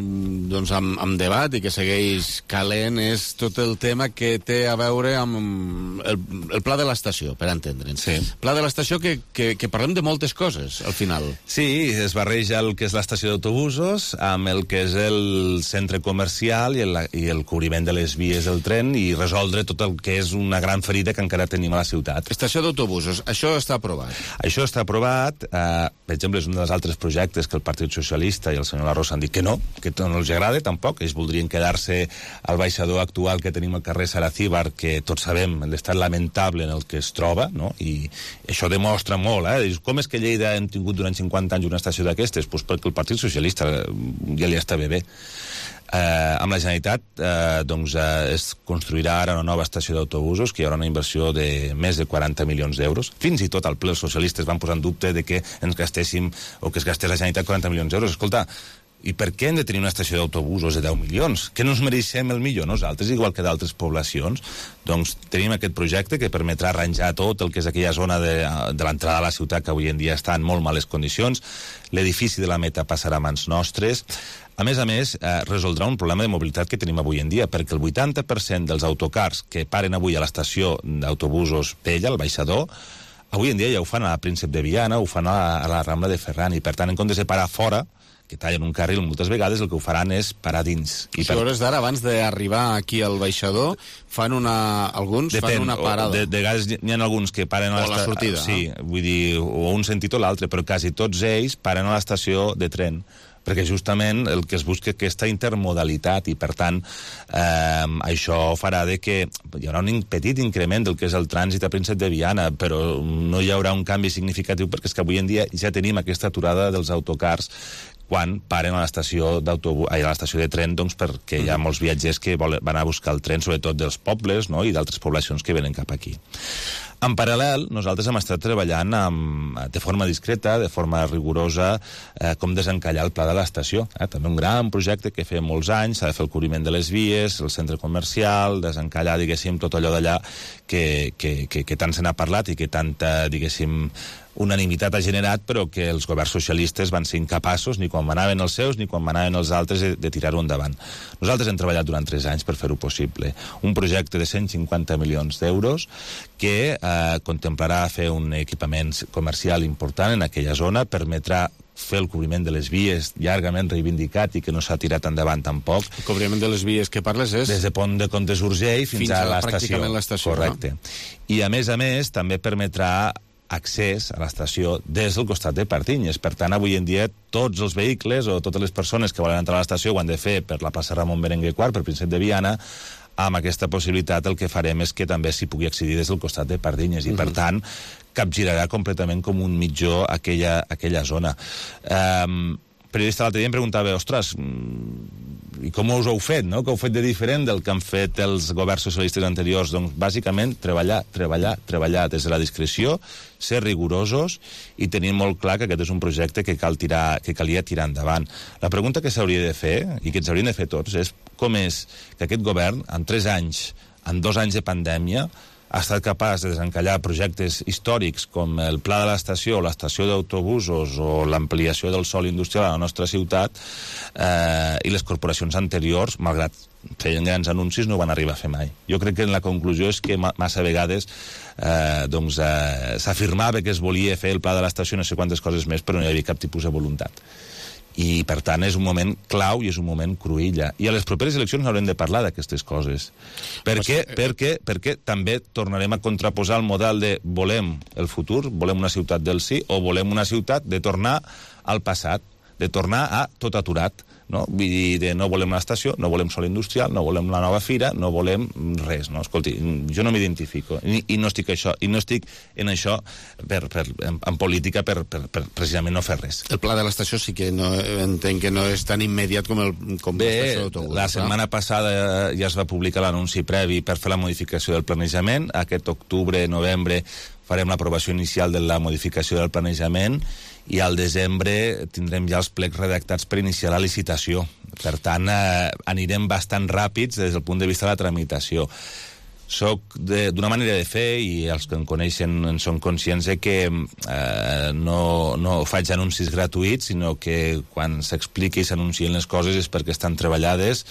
doncs, amb debat i que segueix calent és tot el tema que té a veure amb el pla de l'estació, per entendre'ns. Sí. Pla de l'estació que parlem de moltes coses, al final. Sí, es barreja el que és l'estació d'autobusos amb el que és el centre comercial i el cobriment de les vies del tren i resoldre tot el que és una gran ferida que encara tenim a la ciutat. Estació d'autobusos, això està aprovat? Això està aprovat, per exemple, és un dels altres projectes que el Partit Socialista i el senyor Larrosa han dit que no els agrada tampoc, ells voldrien quedar-se al baixador actual que tenim al carrer Saracíbar, que tots sabem l'estat lamentable en el que es troba, no? I això demostra molt, com és que Lleida hem tingut durant 50 anys una estació d'aquestes? Doncs perquè el Partit Socialista ja li estava bé. Amb la Generalitat es construirà ara una nova estació d'autobusos que hi haurà una inversió de més de 40 milions d'euros. Fins i tot al ple els socialistes van posar en dubte de que ens gastéssim o que es gastés la Generalitat 40 milions d'euros. Escolta, i per què hem de tenir una estació d'autobusos de 10 milions? Que no ens mereixem el millor nosaltres, igual que d'altres poblacions? Doncs tenim aquest projecte que permetrà arranjar tot el que és aquella zona de l'entrada a la ciutat que avui en dia està en molt males condicions. L'edifici de la Meta passarà a mans nostres. A més, resoldrà un problema de mobilitat que tenim avui en dia, perquè el 80% dels autocars que paren avui a l'estació d'autobusos Pella, al baixador, avui en dia ja ho fan a la Príncep de Viana, ho fan a la Rambla de Ferran, i per tant, en comptes de parar fora, que tallen un carril moltes vegades, el que ho faran és parar dins. I per hores d'ara, abans d'arribar aquí al baixador, alguns fan una parada. De vegades n'hi ha alguns que paren a la sortida. Sí, vull dir, o un sentit o l'altre, però quasi tots ells paren a l'estació de tren, perquè justament el que es busca aquesta intermodalitat i, per tant, això farà que hi haurà un petit increment del que és el trànsit a Príncep de Viana, però no hi haurà un canvi significatiu perquè és que avui en dia ja tenim aquesta aturada dels autocars quan paren a l'estació de tren, doncs perquè hi ha molts viatgers que van a buscar el tren, sobretot dels pobles, no?, i d'altres poblacions que venen cap aquí. En paral·lel, nosaltres hem estat treballant de forma discreta, de forma rigorosa, com desencallar el pla de l'estació. També un gran projecte que feia molts anys, s'ha de fer el cobriment de les vies, el centre comercial, desencallar, diguéssim, tot allò d'allà que tant se n'ha parlat i que tanta, diguéssim, unanimitat ha generat, però que els governs socialistes van ser incapaços, ni quan manaven els seus, ni quan manaven els altres, de tirar-ho endavant. Nosaltres hem treballat durant 3 anys per fer-ho possible. Un projecte de 150 milions d'euros que contemplarà fer un equipament comercial important en aquella zona, permetrà fer el cobriment de les vies llargament reivindicat i que no s'ha tirat endavant tampoc. El cobriment de les vies que parles és? Des de Pont de Comtes Urgell fins a l'estació. Pràcticament l'estació. Correcte. No? I a més, també permetrà accés a l'estació des del costat de Pardinyes. Per tant, avui en dia, tots els vehicles o totes les persones que volen entrar a l'estació ho han de fer per la plaça Ramon Berenguer IV, per Príncep de Viana. Amb aquesta possibilitat el que farem és que també s'hi pugui accedir des del costat de Pardinyes i, per tant, capgirarà completament com un mitjó aquella zona. Periodista l'altre dia em preguntava, ostres, i com us ho heu fet, no? Què heu fet de diferent del que han fet els governs socialistes anteriors? Doncs, bàsicament, treballar des de la discreció, ser rigorosos i tenir molt clar que aquest és un projecte que calia tirar endavant. La pregunta que s'hauria de fer, i que ens haurien de fer tots, és com és que aquest govern, en 3 anys, en 2 anys de pandèmia, ha estat capaç de desencallar projectes històrics com el pla de l'estació, l'estació d'autobusos o l'ampliació del sòl industrial a la nostra ciutat, i les corporacions anteriors, malgrat feien grans anuncis, no van arribar a fer mai. Jo crec que la conclusió és que massa vegades s'afirmava que es volia fer el pla de l'estació, no sé quantes coses més, però no hi havia cap tipus de voluntat. I, per tant, és un moment clau i és un moment cruïlla. I a les properes eleccions haurem de parlar d'aquestes coses. Perquè també tornarem a contraposar el model de volem el futur, volem una ciutat del sí, o volem una ciutat de tornar al passat, de tornar a tot aturat. No? Vull dir, no volem l'estació, no volem sol industrial, no volem la nova fira, no volem res, no? Escolti, jo no m'identifico i no estic en això en política per precisament no fer res. El pla de l'estació sí que no, entenc que no és tan immediat com l'estació d'autobús. La setmana passada ja es va publicar l'anunci previ per fer la modificació del planejament. Aquest octubre, novembre, farem l'aprovació inicial de la modificació del planejament i al desembre tindrem ja els plecs redactats per iniciar la licitació. Per tant, anirem bastant ràpids des del punt de vista de la tramitació. Soc d'una manera de fer, i els que em coneixen en són conscients de que no faig anuncis gratuïts, sinó que quan s'expliqui i s'anuncien les coses és perquè estan treballades,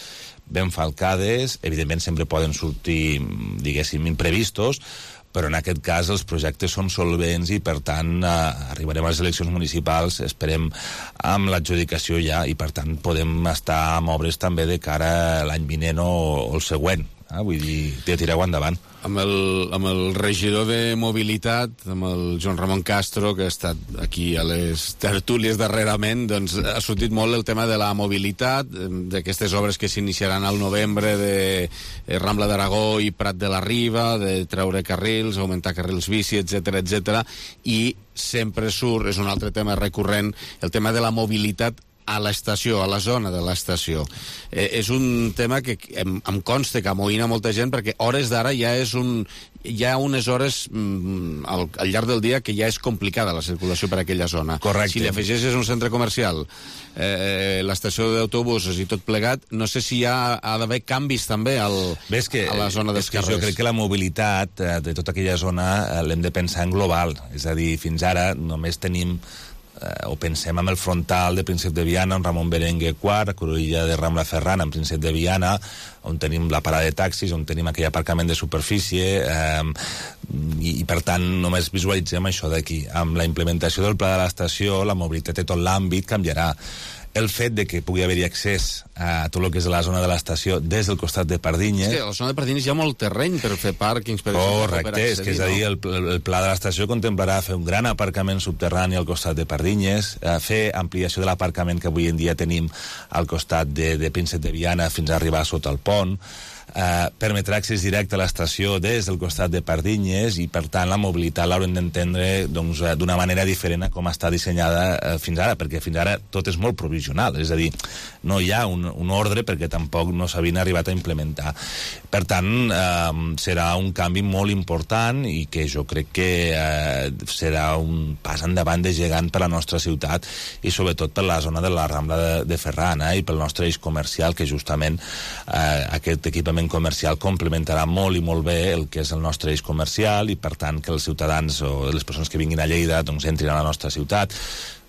ben falcades, evidentment sempre poden sortir, diguéssim, imprevistos, però en aquest cas els projectes són solvents i, per tant, arribarem a les eleccions municipals, esperem, amb l'adjudicació ja, i, per tant, podem estar amb obres també de cara a l'any vinent o el següent. Vull dir, de tirar-ho endavant. Amb el regidor de mobilitat, amb el Joan Ramon Castro, que ha estat aquí a les tertúlies darrerament, doncs ha sortit molt el tema de la mobilitat, d'aquestes obres que s'iniciaran al novembre de Rambla d'Aragó i Prat de la Riba, de treure carrils, augmentar carrils bici, etc, i sempre surt, és un altre tema recurrent, el tema de la mobilitat a l'estació, a la zona de l'estació. És un tema que em consta que amoïna molta gent, perquè hores d'ara hi ha unes hores al llarg del dia que ja és complicada la circulació per aquella zona. Correcte. Si li afegeixes un centre comercial, l'estació d'autobusos i tot plegat, no sé si ha d'haver canvis també a la zona dels carrers. Jo crec que la mobilitat de tota aquella zona l'hem de pensar en global. És a dir, fins ara només tenim o pensem en el frontal de Príncep de Viana, en Ramon Berenguer IV, a Cruïlla de Rambla Ferran, en Príncep de Viana, on tenim la parada de taxis, on tenim aquell aparcament de superfície, i per tant només visualitzem això d'aquí. Amb la implementació del pla de l'estació, la mobilitat de tot l'àmbit canviarà. El fet de que pugui haver-hi accés a tot el que és la zona de l'estació des del costat de Pardinyes... És que a la zona de Pardinyes hi ha molt terreny per fer pàrquings, per exemple. Correcte, és que és a dir, el pla de l'estació contemplarà fer un gran aparcament subterrani al costat de Pardinyes, fer ampliació de l'aparcament que avui en dia tenim al costat de Príncep de Viana fins a arribar sota el pont, permetrà accés directe a l'estació des del costat de Pardinyes i, per tant, la mobilitat l'haurem d'entendre d'una manera diferent a com està dissenyada fins ara, perquè fins ara tot és molt provisional, és a dir, no hi ha un ordre perquè tampoc no s'havien arribat a implementar. Per tant, serà un canvi molt important i que jo crec que serà un pas endavant de gegant per a la nostra ciutat i sobretot per la zona de la Rambla de Ferran i pel nostre eix comercial, que justament aquest equipament comercial complementarà molt i molt bé el que és el nostre eix comercial i, per tant, que els ciutadans o les persones que vinguin a Lleida doncs entrin a la nostra ciutat.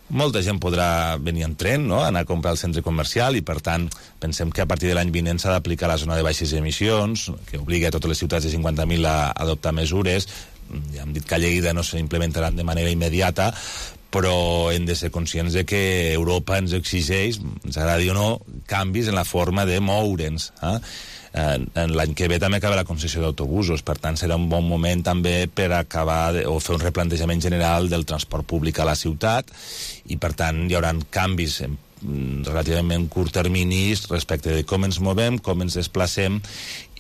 Molta gent podrà venir en tren, no?, anar a comprar al centre comercial i, per tant, pensem que a partir de l'any vinent s'ha d'aplicar la zona de baixes emissions, que obliga a totes les ciutats de 50.000 a adoptar mesures. Ja hem dit que a Lleida no s'implementaran de manera immediata, però hem de ser conscients de que Europa ens exigeix, ens agradi o no, canvis en la forma de moure'ns. L'any que ve també acaba la concessió d'autobusos, per tant serà un bon moment també per acabar o fer un replantejament general del transport públic a la ciutat i, per tant, hi haurà canvis relativament curt terminis respecte de com ens movem, com ens desplacem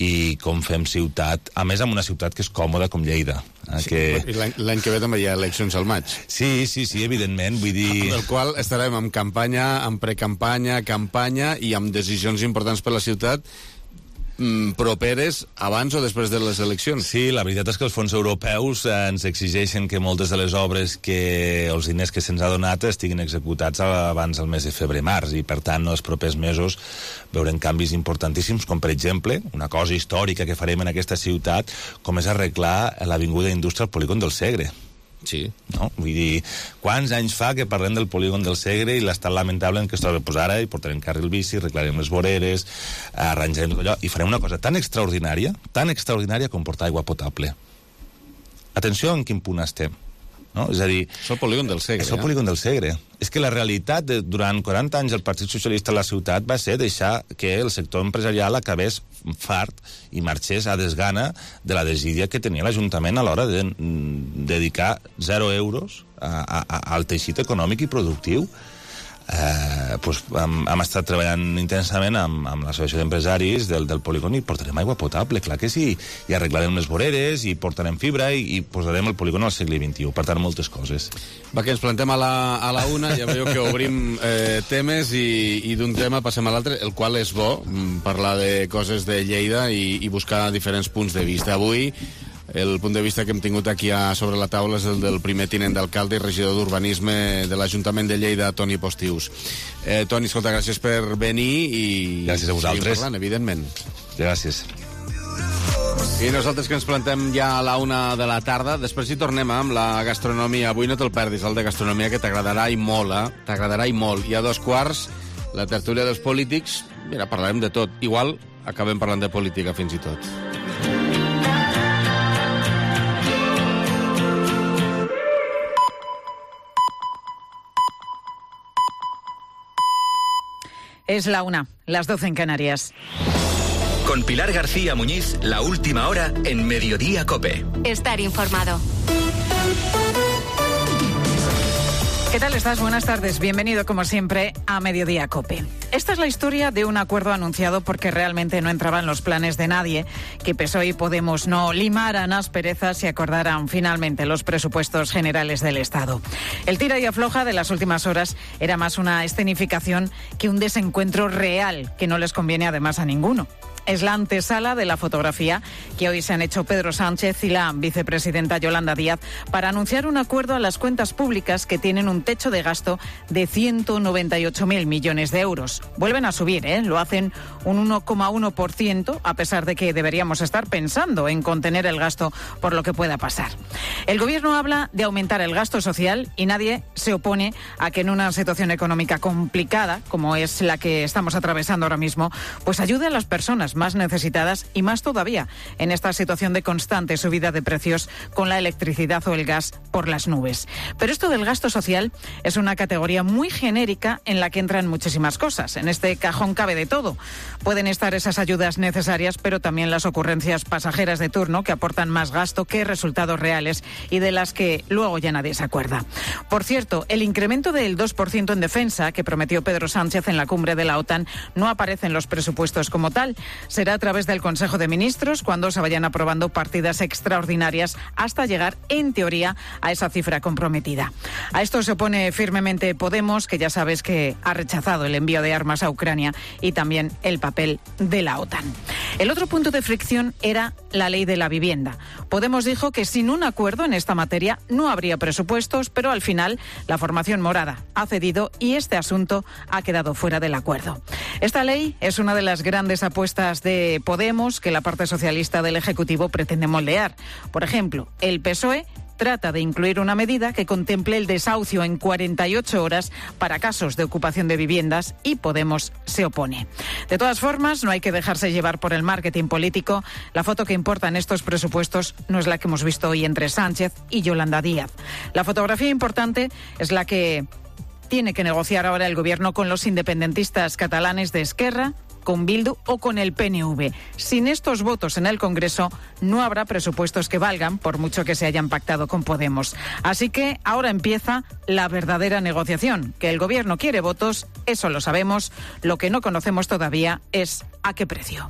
i com fem ciutat, a més amb una ciutat que és còmoda com Lleida. L'any que ve també hi ha eleccions al maig. Sí, evidentment, vull dir... Amb el qual estarem en campanya, en precampanya, campanya i amb decisions importants per la ciutat properes abans o després de les eleccions. Sí, la veritat és que els fons europeus ens exigeixen que moltes de les obres els diners que se'ns ha donat estiguin executats abans del mes de febrer-març i, per tant, els propers mesos veurem canvis importantíssims, com per exemple una cosa històrica que farem en aquesta ciutat, com és arreglar l'avinguda Indústria al polígon del Segre. Sí. No? Vull dir, quants anys fa que parlem del polígon del Segre i l'estat lamentable en què es troba? Pues ara hi portarem carril bici, arreglarem les voreres, arranjarem tot allò i farem una cosa tan extraordinària com portar aigua potable. Atenció en quin punt estem. no? És a dir... És el polígon del Segre. És el polígon del Segre. És que la realitat, durant 40 anys, el Partit Socialista a la ciutat va ser deixar que el sector empresarial acabés fart i marxés a desgana de la desídia que tenia l'Ajuntament a l'hora de dedicar 0 euros al teixit econòmic i productiu. Hem estat treballant intensament amb l'associació d'empresaris del polígon i portarem aigua potable, clar que sí, i arreglarem les voreres i portarem fibra i posarem el polígon al segle XXI, per tant moltes coses. Va, que ens plantem a la una, ja veieu que obrim temes i d'un tema passem a l'altre, el qual és bo, parlar de coses de Lleida i buscar diferents punts de vista. Avui el punt de vista que hem tingut aquí sobre la taula és el del primer tinent d'alcalde i regidor d'Urbanisme de l'Ajuntament de Lleida, Toni Postius. Toni, escolta, gràcies per venir i... Gràcies a vosaltres. Seguim parlant, evidentment. Gràcies. I nosaltres que ens plantem ja a la 1 de la tarda, després hi tornem amb la gastronomia. Avui no te'l perdis, el de gastronomia, que t'agradarà i molt, T'agradarà i molt. I a 2:15, la tertúlia dels polítics. Mira, parlarem de tot. Igual acabem parlant de política fins i tot. Es la 1, las 12 en Canarias. Con Pilar García Muñiz, la última hora en Mediodía COPE. Estar informado. ¿Qué tal estás? Buenas tardes. Bienvenido, como siempre, a Mediodía COPE. Esta es la historia de un acuerdo anunciado porque realmente no entraba en los planes de nadie que PSOE y Podemos no limaran asperezas y acordaran finalmente los presupuestos generales del Estado. El tira y afloja de las últimas horas era más una escenificación que un desencuentro real que no les conviene además a ninguno. Es la antesala de la fotografía que hoy se han hecho Pedro Sánchez y la vicepresidenta Yolanda Díaz para anunciar un acuerdo a las cuentas públicas que tienen un techo de gasto de 198.000 millones de euros. Vuelven a subir, lo hacen un 1,1%, a pesar de que deberíamos estar pensando en contener el gasto por lo que pueda pasar. El Gobierno habla de aumentar el gasto social y nadie se opone a que en una situación económica complicada, como es la que estamos atravesando ahora mismo, pues ayude a las personas más necesitadas y más todavía en esta situación de constante subida de precios con la electricidad o el gas por las nubes. Pero esto del gasto social es una categoría muy genérica en la que entran muchísimas cosas. En este cajón cabe de todo. Pueden estar esas ayudas necesarias, pero también las ocurrencias pasajeras de turno que aportan más gasto que resultados reales y de las que luego ya nadie se acuerda. Por cierto, el incremento del 2% en defensa que prometió Pedro Sánchez en la cumbre de la OTAN no aparece en los presupuestos como tal. Será a través del Consejo de Ministros cuando se vayan aprobando partidas extraordinarias hasta llegar, en teoría, a esa cifra comprometida. A esto se opone firmemente Podemos, que ya sabes que ha rechazado el envío de armas a Ucrania y también el papel de la OTAN. El otro punto de fricción era la ley de la vivienda. Podemos dijo que sin un acuerdo en esta materia no habría presupuestos, pero al final la formación morada ha cedido y este asunto ha quedado fuera del acuerdo. Esta ley es una de las grandes apuestas de Podemos que la parte socialista del Ejecutivo pretende moldear. Por ejemplo, el PSOE trata de incluir una medida que contemple el desahucio en 48 horas para casos de ocupación de viviendas y Podemos se opone. De todas formas, no hay que dejarse llevar por el marketing político. La foto que importa en estos presupuestos no es la que hemos visto hoy entre Sánchez y Yolanda Díaz. La fotografía importante es la que tiene que negociar ahora el Gobierno con los independentistas catalanes de Esquerra, con Bildu o con el PNV. Sin estos votos en el Congreso no habrá presupuestos que valgan, por mucho que se hayan pactado con Podemos. Así que ahora empieza la verdadera negociación. Que el Gobierno quiere votos, eso lo sabemos. Lo que no conocemos todavía es a qué precio.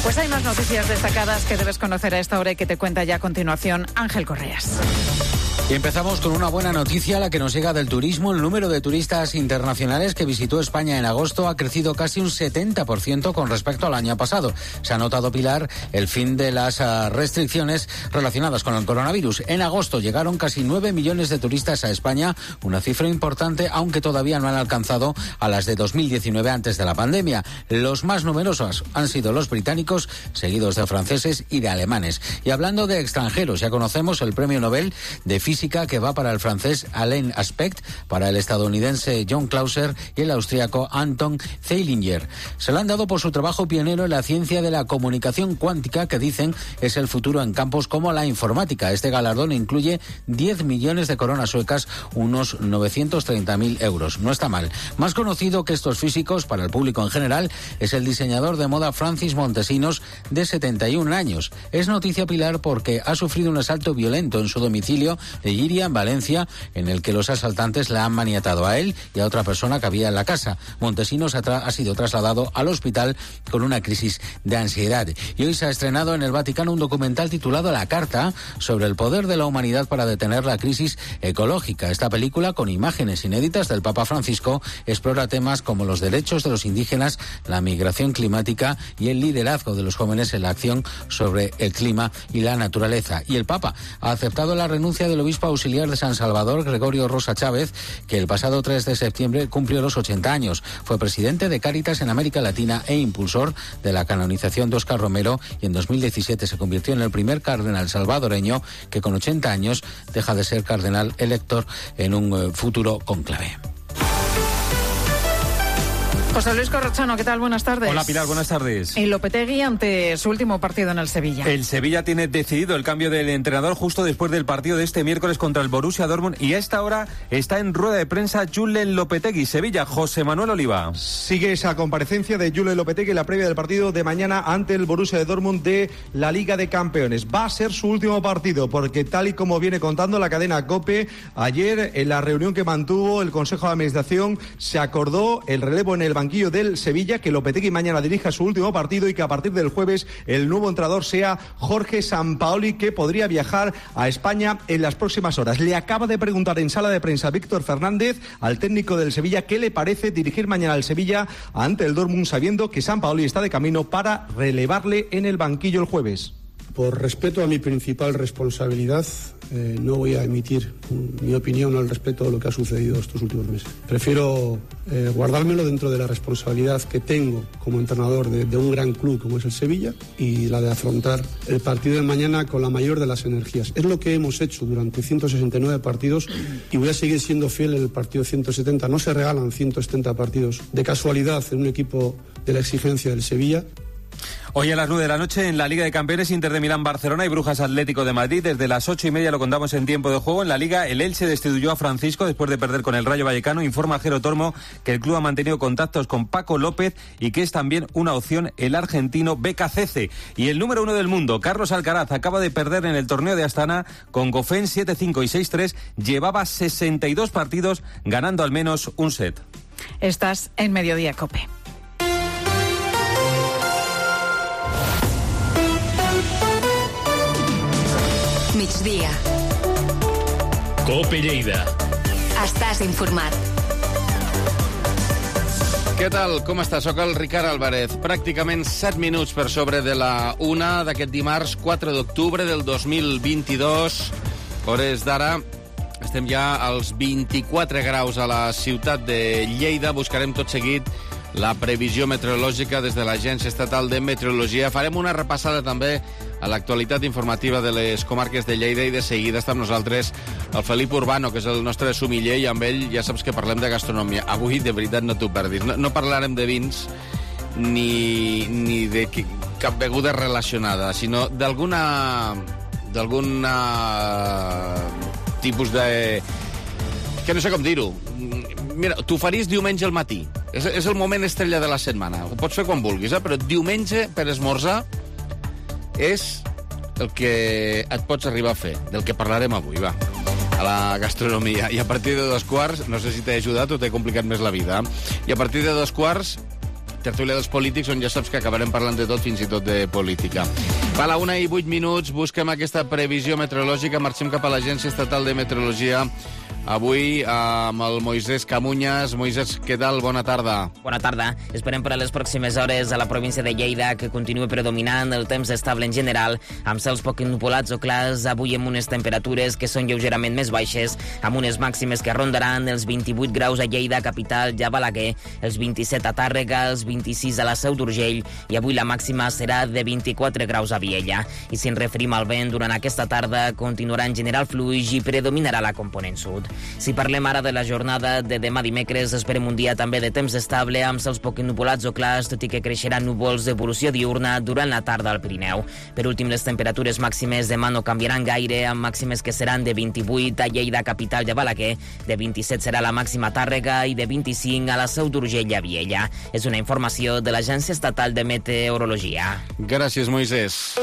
Pues hay más noticias destacadas que debes conocer a esta hora y que te cuenta ya a continuación Ángel Correas. Y empezamos con una buena noticia, la que nos llega del turismo. El número de turistas internacionales que visitó España en agosto ha crecido casi un 70% con respecto al año pasado. Se ha notado, Pilar, el fin de las restricciones relacionadas con el coronavirus. En agosto llegaron casi 9 millones de turistas a España, una cifra importante, aunque todavía no han alcanzado a las de 2019 antes de la pandemia. Los más numerosos han sido los británicos, seguidos de franceses y de alemanes. Y hablando de extranjeros, ya conocemos el Premio Nobel de Física física que va para el francés Alain Aspect, para el estadounidense John Clauser y el austríaco Anton Zeilinger. Se lo han dado por su trabajo pionero en la ciencia de la comunicación cuántica, que dicen es el futuro en campos como la informática. Este galardón incluye 10 millones de coronas suecas, unos 930.000 euros. No está mal. Más conocido que estos físicos para el público en general es el diseñador de moda Francis Montesinos, de 71 años. Es noticia, Pilar, porque ha sufrido un asalto violento en su domicilio de Llíria, en Valencia, en el que los asaltantes le han maniatado a él y a otra persona que había en la casa. Montesinos ha sido trasladado al hospital con una crisis de ansiedad. Y hoy se ha estrenado en el Vaticano un documental titulado La Carta, sobre el poder de la humanidad para detener la crisis ecológica. Esta película, con imágenes inéditas del Papa Francisco, explora temas como los derechos de los indígenas, la migración climática y el liderazgo de los jóvenes en la acción sobre el clima y la naturaleza. Y el Papa ha aceptado la renuncia del obispo auxiliar de San Salvador, Gregorio Rosa Chávez, que el pasado 3 de septiembre cumplió los 80 años. Fue presidente de Cáritas en América Latina e impulsor de la canonización de Óscar Romero, y en 2017 se convirtió en el primer cardenal salvadoreño que con 80 años deja de ser cardenal elector en un futuro cónclave. José Luis Corrochano, ¿qué tal? Buenas tardes. Hola, Pilar, buenas tardes. Y Lopetegui ante su último partido en el Sevilla. El Sevilla tiene decidido el cambio del entrenador justo después del partido de este miércoles contra el Borussia Dortmund, y a esta hora está en rueda de prensa Julen Lopetegui. Sevilla, José Manuel Oliva. Sigue esa comparecencia de Julen Lopetegui en la previa del partido de mañana ante el Borussia de Dortmund de la Liga de Campeones. Va a ser su último partido, porque tal y como viene contando la cadena COPE, ayer en la reunión que mantuvo el Consejo de Administración se acordó el relevo en el banquillo del Sevilla, que Lopetegui mañana dirija su último partido y que a partir del jueves el nuevo entrenador sea Jorge Sampaoli, que podría viajar a España en las próximas horas. Le acaba de preguntar en sala de prensa Víctor Fernández al técnico del Sevilla qué le parece dirigir mañana al Sevilla ante el Dortmund, sabiendo que Sampaoli está de camino para relevarle en el banquillo el jueves. Por respeto a mi principal responsabilidad, no voy a emitir mi opinión al respecto de lo que ha sucedido estos últimos meses. Prefiero guardármelo dentro de la responsabilidad que tengo como entrenador de un gran club como es el Sevilla, y la de afrontar el partido de mañana con la mayor de las energías. Es lo que hemos hecho durante 169 partidos y voy a seguir siendo fiel en el partido 170. No se regalan 170 partidos de casualidad en un equipo de la exigencia del Sevilla. Hoy a las 9 de la noche en la Liga de Campeones, Inter de Milán, Barcelona y Brujas Atlético de Madrid. Desde las 8:30 lo contamos en tiempo de juego. En la Liga, el Elche destituyó a Francisco después de perder con el Rayo Vallecano. Informa Jero Tormo que el club ha mantenido contactos con Paco López y que es también una opción el argentino Becacece. Y el número 1 del mundo, Carlos Alcaraz, acaba de perder en el torneo de Astana con Goffin 7-5 y 6-3. Llevaba 62 partidos ganando al menos un set. Estás en Mediodía COPE. Migdia. COPE Lleida. Estàs informat. Què tal? Com està? Soc el Ricard Álvarez. Pràcticament 7 minuts per sobre de la 1 d'aquest dimarts 4 d'octubre del 2022. Hores d'ara estem ja als 24 graus a la ciutat de Lleida. Buscarem tot seguit la previsió meteorològica des de l'Agència Estatal de Meteorologia. Farem una repassada també a l'actualitat informativa de les comarques de Lleida, i de seguida està amb nosaltres el Felip Urbano, que és el nostre sumiller, i amb ell ja saps que parlem de gastronomia. Avui, de veritat, no t'ho perdis. No parlarem de vins ni de cap beguda relacionada, sinó d'algun tipus de... que no sé com dir-ho. Mira, t'ho faries diumenge al matí. És el moment estrella de la setmana. Ho pots fer quan vulguis, però diumenge per esmorzar és el que et pots arribar a fer, del que parlarem avui, va, a la gastronomia. I a partir de 2:15, no sé si t'he ajudat o t'he complicat més la vida, i a partir de 2:15, tertúlia dels polítics, on ja saps que acabarem parlant de tot, fins i tot de política. Va, a la 1:08, busquem aquesta previsió meteorològica, marxem cap a l'Agència Estatal de Meteorologia, avui amb el Moisés Camuñas. Moisés, què tal? Bona tarda. Bona tarda. Esperem per a les pròximes hores a la província de Lleida que continua predominant el temps estable en general, amb cels poc nuvolats o clars, avui amb unes temperatures que són lleugerament més baixes, amb unes màximes que rondaran els 28 graus a Lleida, capital, i a Balaguer, els 27 a Tàrrega, els 26 a la Seu d'Urgell, i avui la màxima serà de 24 graus a Viella. I si ens referim al vent, durant aquesta tarda continuarà en general fluix i predominarà la component sud. Si parlem ara de la jornada de demà dimecres, esperem un dia també de temps estable, amb cels poc nuvolats o clars, tot i que creixeran núvols d'evolució diurna durant la tarda al Pirineu. Per últim, les temperatures màximes demà no canviaran gaire, amb màximes que seran de 28 a Lleida, capital, i a Balaguer, de 27 serà la màxima a Tàrrega i de 25 a la Seu d'Urgell i a Viella. És una informació de l'Agència Estatal de Meteorologia. Gràcies, Moisés.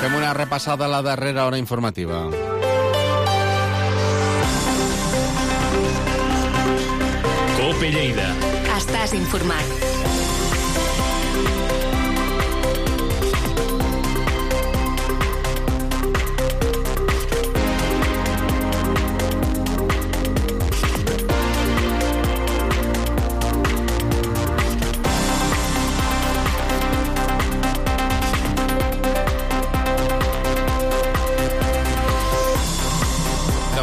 Fem una repassada a la darrera hora informativa. COPE Lleida. Estàs informat.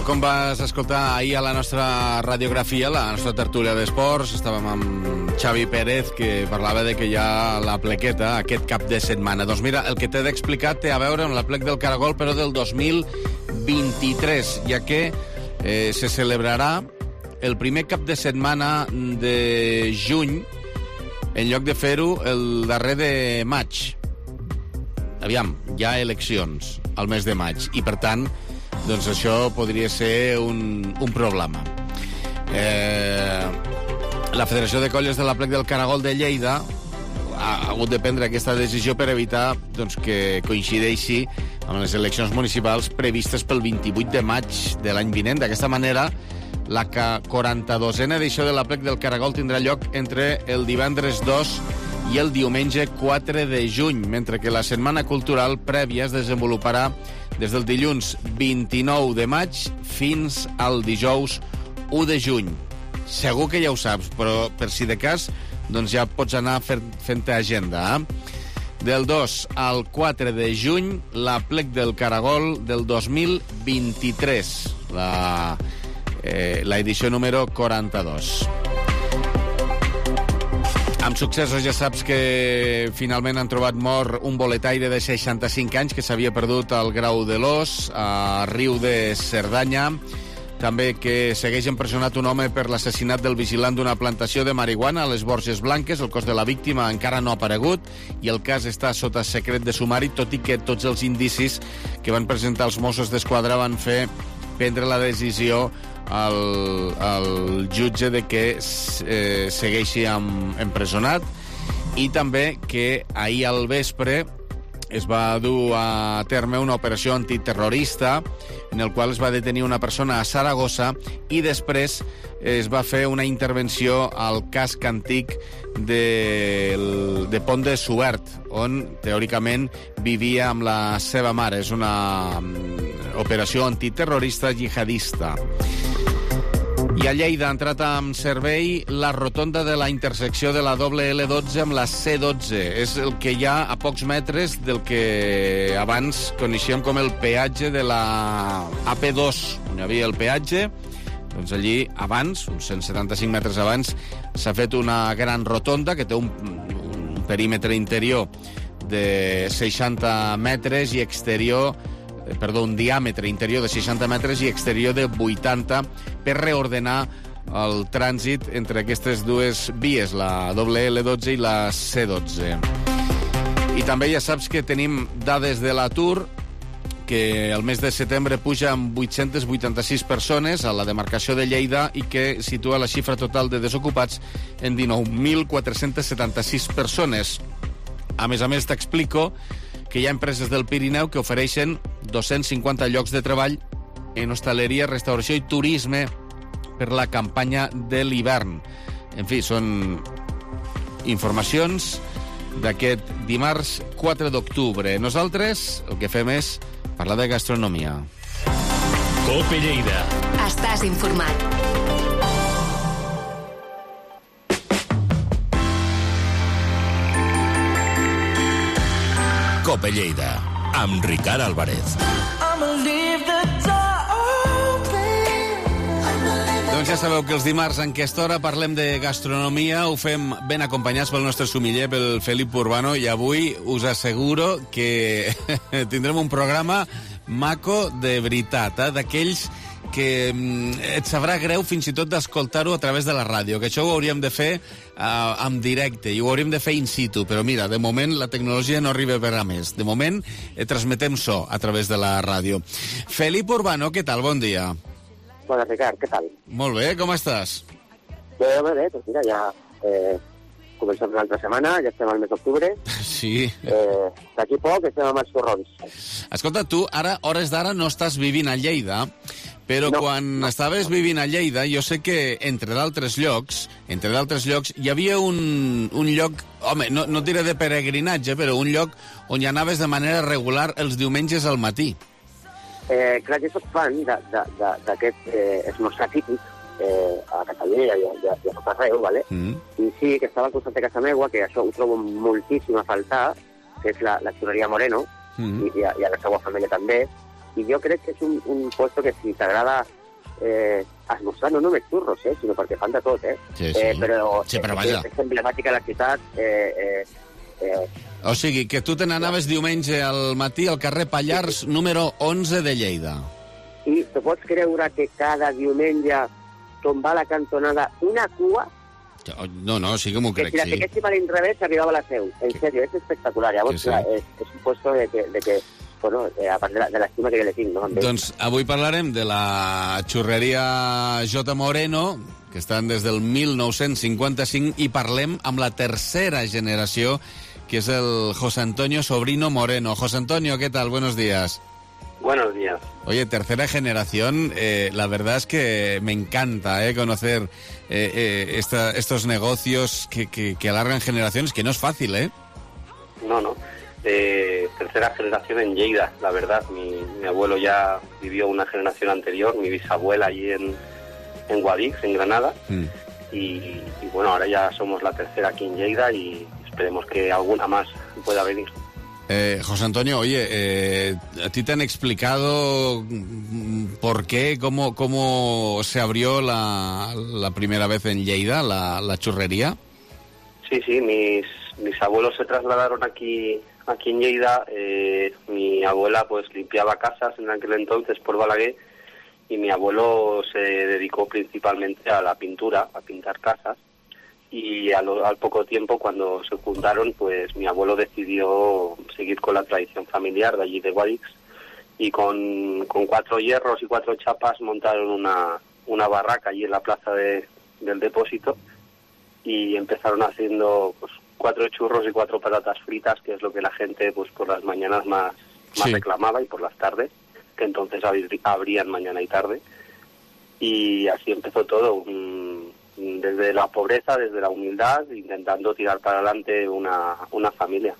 Com vas escoltar ahir a la nostra radiografia, la nostra tertúlia d'esports, estàvem amb Xavi Pérez, que parlava de que hi ha la plequeta aquest cap de setmana. Doncs mira, el que t'he d'explicar té a veure amb la plec del Caragol, però del 2023, ja que se celebrarà el primer cap de setmana de juny, en lloc de fer-ho el darrer de maig. Aviam, hi ha eleccions al mes de maig, i per tant, doncs això podria ser un problema. La Federació de Colles de la Plec del Caragol de Lleida ha hagut de prendre aquesta decisió per evitar doncs, que coincideixi amb les eleccions municipals previstes pel 28 de maig de l'any vinent. D'aquesta manera, la 42a edició de la Plec del Caragol tindrà lloc entre el divendres 2 i el diumenge 4 de juny, mentre que la setmana cultural prèvia es desenvoluparà des del dilluns 29 de maig fins al dijous 1 de juny. Segur que ja ho saps, però per si de cas, doncs ja pots anar fent-te agenda. Del 2 al 4 de juny, la Plec del Caragol del 2023, la edició número 42. Amb successos ja saps que finalment han trobat mort un boletaire de 65 anys que s'havia perdut al Grau de l'Os, a Riu de Cerdanya. També que segueix empresonat un home per l'assassinat del vigilant d'una plantació de marihuana a les Borges Blanques. El cos de la víctima encara no ha aparegut i el cas està sota secret de sumari, tot i que tots els indicis que van presentar els Mossos d'Esquadra van fer prendre la decisió al jutge de que segueixi empresonat, i també que ahir al vespre es va dur a terme una operació antiterrorista en el qual es va detenir una persona a Saragossa i després es va fer una intervenció al casc antic de Pont de Suert, on teòricament vivia amb la seva mare. És una operació antiterrorista jihadista. I a Lleida ha entrat amb servei la rotonda de la intersecció de la doble L12 amb la C12. És el que hi ha a pocs metres del que abans coneixíem com el peatge de la AP2, on hi havia el peatge. Doncs allí, abans, uns 175 metres abans, s'ha fet una gran rotonda que té un perímetre interior de 60 metres i exterior, un diàmetre interior de 60 metres i exterior de 80, per reordenar el trànsit entre aquestes dues vies, la doble L12 i la C12. I també ja saps que tenim dades de l'atur, que el mes de setembre puja amb 886 persones a la demarcació de Lleida i que situa la xifra total de desocupats en 19.476 persones. A més, t'explico que hi ha empreses del Pirineu que ofereixen 250 llocs de treball en hostaleria, restauració i turisme per la campanya de l'hivern. En fi, són informacions d'aquest dimarts 4 d'octubre. Nosaltres el que fem és parlar de gastronomia. COPE Lleida. Estàs informat. COPE Lleida, amb Ricard Álvarez. Doncs ja sabeu que els dimarts en aquesta hora parlem de gastronomia, ho fem ben acompanyats pel nostre sumiller, pel Felip Urbano, i avui us asseguro que tindrem un programa maco de veritat, d'aquells que et sabrà greu fins i tot d'escoltar-ho a través de la ràdio, que això ho hauríem de fer en directe i ho hauríem de fer in situ, però mira, de moment la tecnologia no arriba per a més. De moment transmetem so a través de la ràdio. Felip Urbano, què tal? Bon dia. Bona, Ricard, què tal? Molt bé, com estàs? Bé, doncs mira, ja comencem una altra setmana, ja estem al mes d'octubre. Sí. D'aquí poc estem amb els torrons. Escolta, tu ara, hores d'ara, no estàs vivint a Lleida, però quan estaves vivint a Lleida, jo sé que, entre d'altres llocs, hi havia un lloc, home, no diré de peregrinatge, però un lloc on hi anaves de manera regular els diumenges al matí. Clar, jo soc fan d'aquest esmorzar típic a Catalunya i a tot arreu, ¿vale? I sí, que estava al costat de casa meua, que això ho trobo moltíssim a faltar, que és la xurreria Moreno, i a la seva família també, i jo crec que és un puesto que si t'agrada esmorzar, no només xurros, sinó perquè fan de tot, Sí, però vaja. és emblemàtica la ciutat, O sigui, que tu te n'anaves diumenge al matí al carrer Pallars, número 11 de Lleida. I te pots creure que cada diumenge tombar a la cantonada una cua? No, sí que m'ho crec, que si la fiquéssim a l'inrevés arribava a la seu. En sèrio, és espectacular. Llavors, clar, és un puesto de que bueno, a part de l'estima que jo le tinc, no? Doncs avui parlarem de la xurreria J. Moreno, que estan des del 1955, i parlem amb la tercera generació, que es el José Antonio Sobrino Moreno. José Antonio, ¿qué tal? Buenos días. Buenos días. Oye, tercera generación, la verdad es que me encanta conocer estos negocios que alargan generaciones, que no es fácil, ¿eh? No. Tercera generación en Lleida, la verdad. Mi abuelo ya vivió una generación anterior, mi bisabuela allí en Guadix, en Granada. Y bueno, ahora ya somos la tercera aquí en Lleida y esperemos que alguna más pueda venir. José Antonio, oye, ¿a ti te han explicado por qué, cómo se abrió la primera vez en Lleida, la churrería? Sí, mis abuelos se trasladaron aquí en Lleida. Mi abuela pues limpiaba casas en aquel entonces por Balaguer y mi abuelo se dedicó principalmente a la pintura, a pintar casas. Y al poco tiempo, cuando se juntaron, pues mi abuelo decidió seguir con la tradición familiar de allí de Guadix y con 4 hierros y 4 chapas montaron una barraca allí en la plaza del depósito y empezaron haciendo pues 4 churros y 4 patatas fritas, que es lo que la gente pues por las mañanas más reclamaba, y por las tardes, que entonces abrían mañana y tarde. Y así empezó todo, desde la pobreza, desde la humildad, intentando tirar para adelante una familia.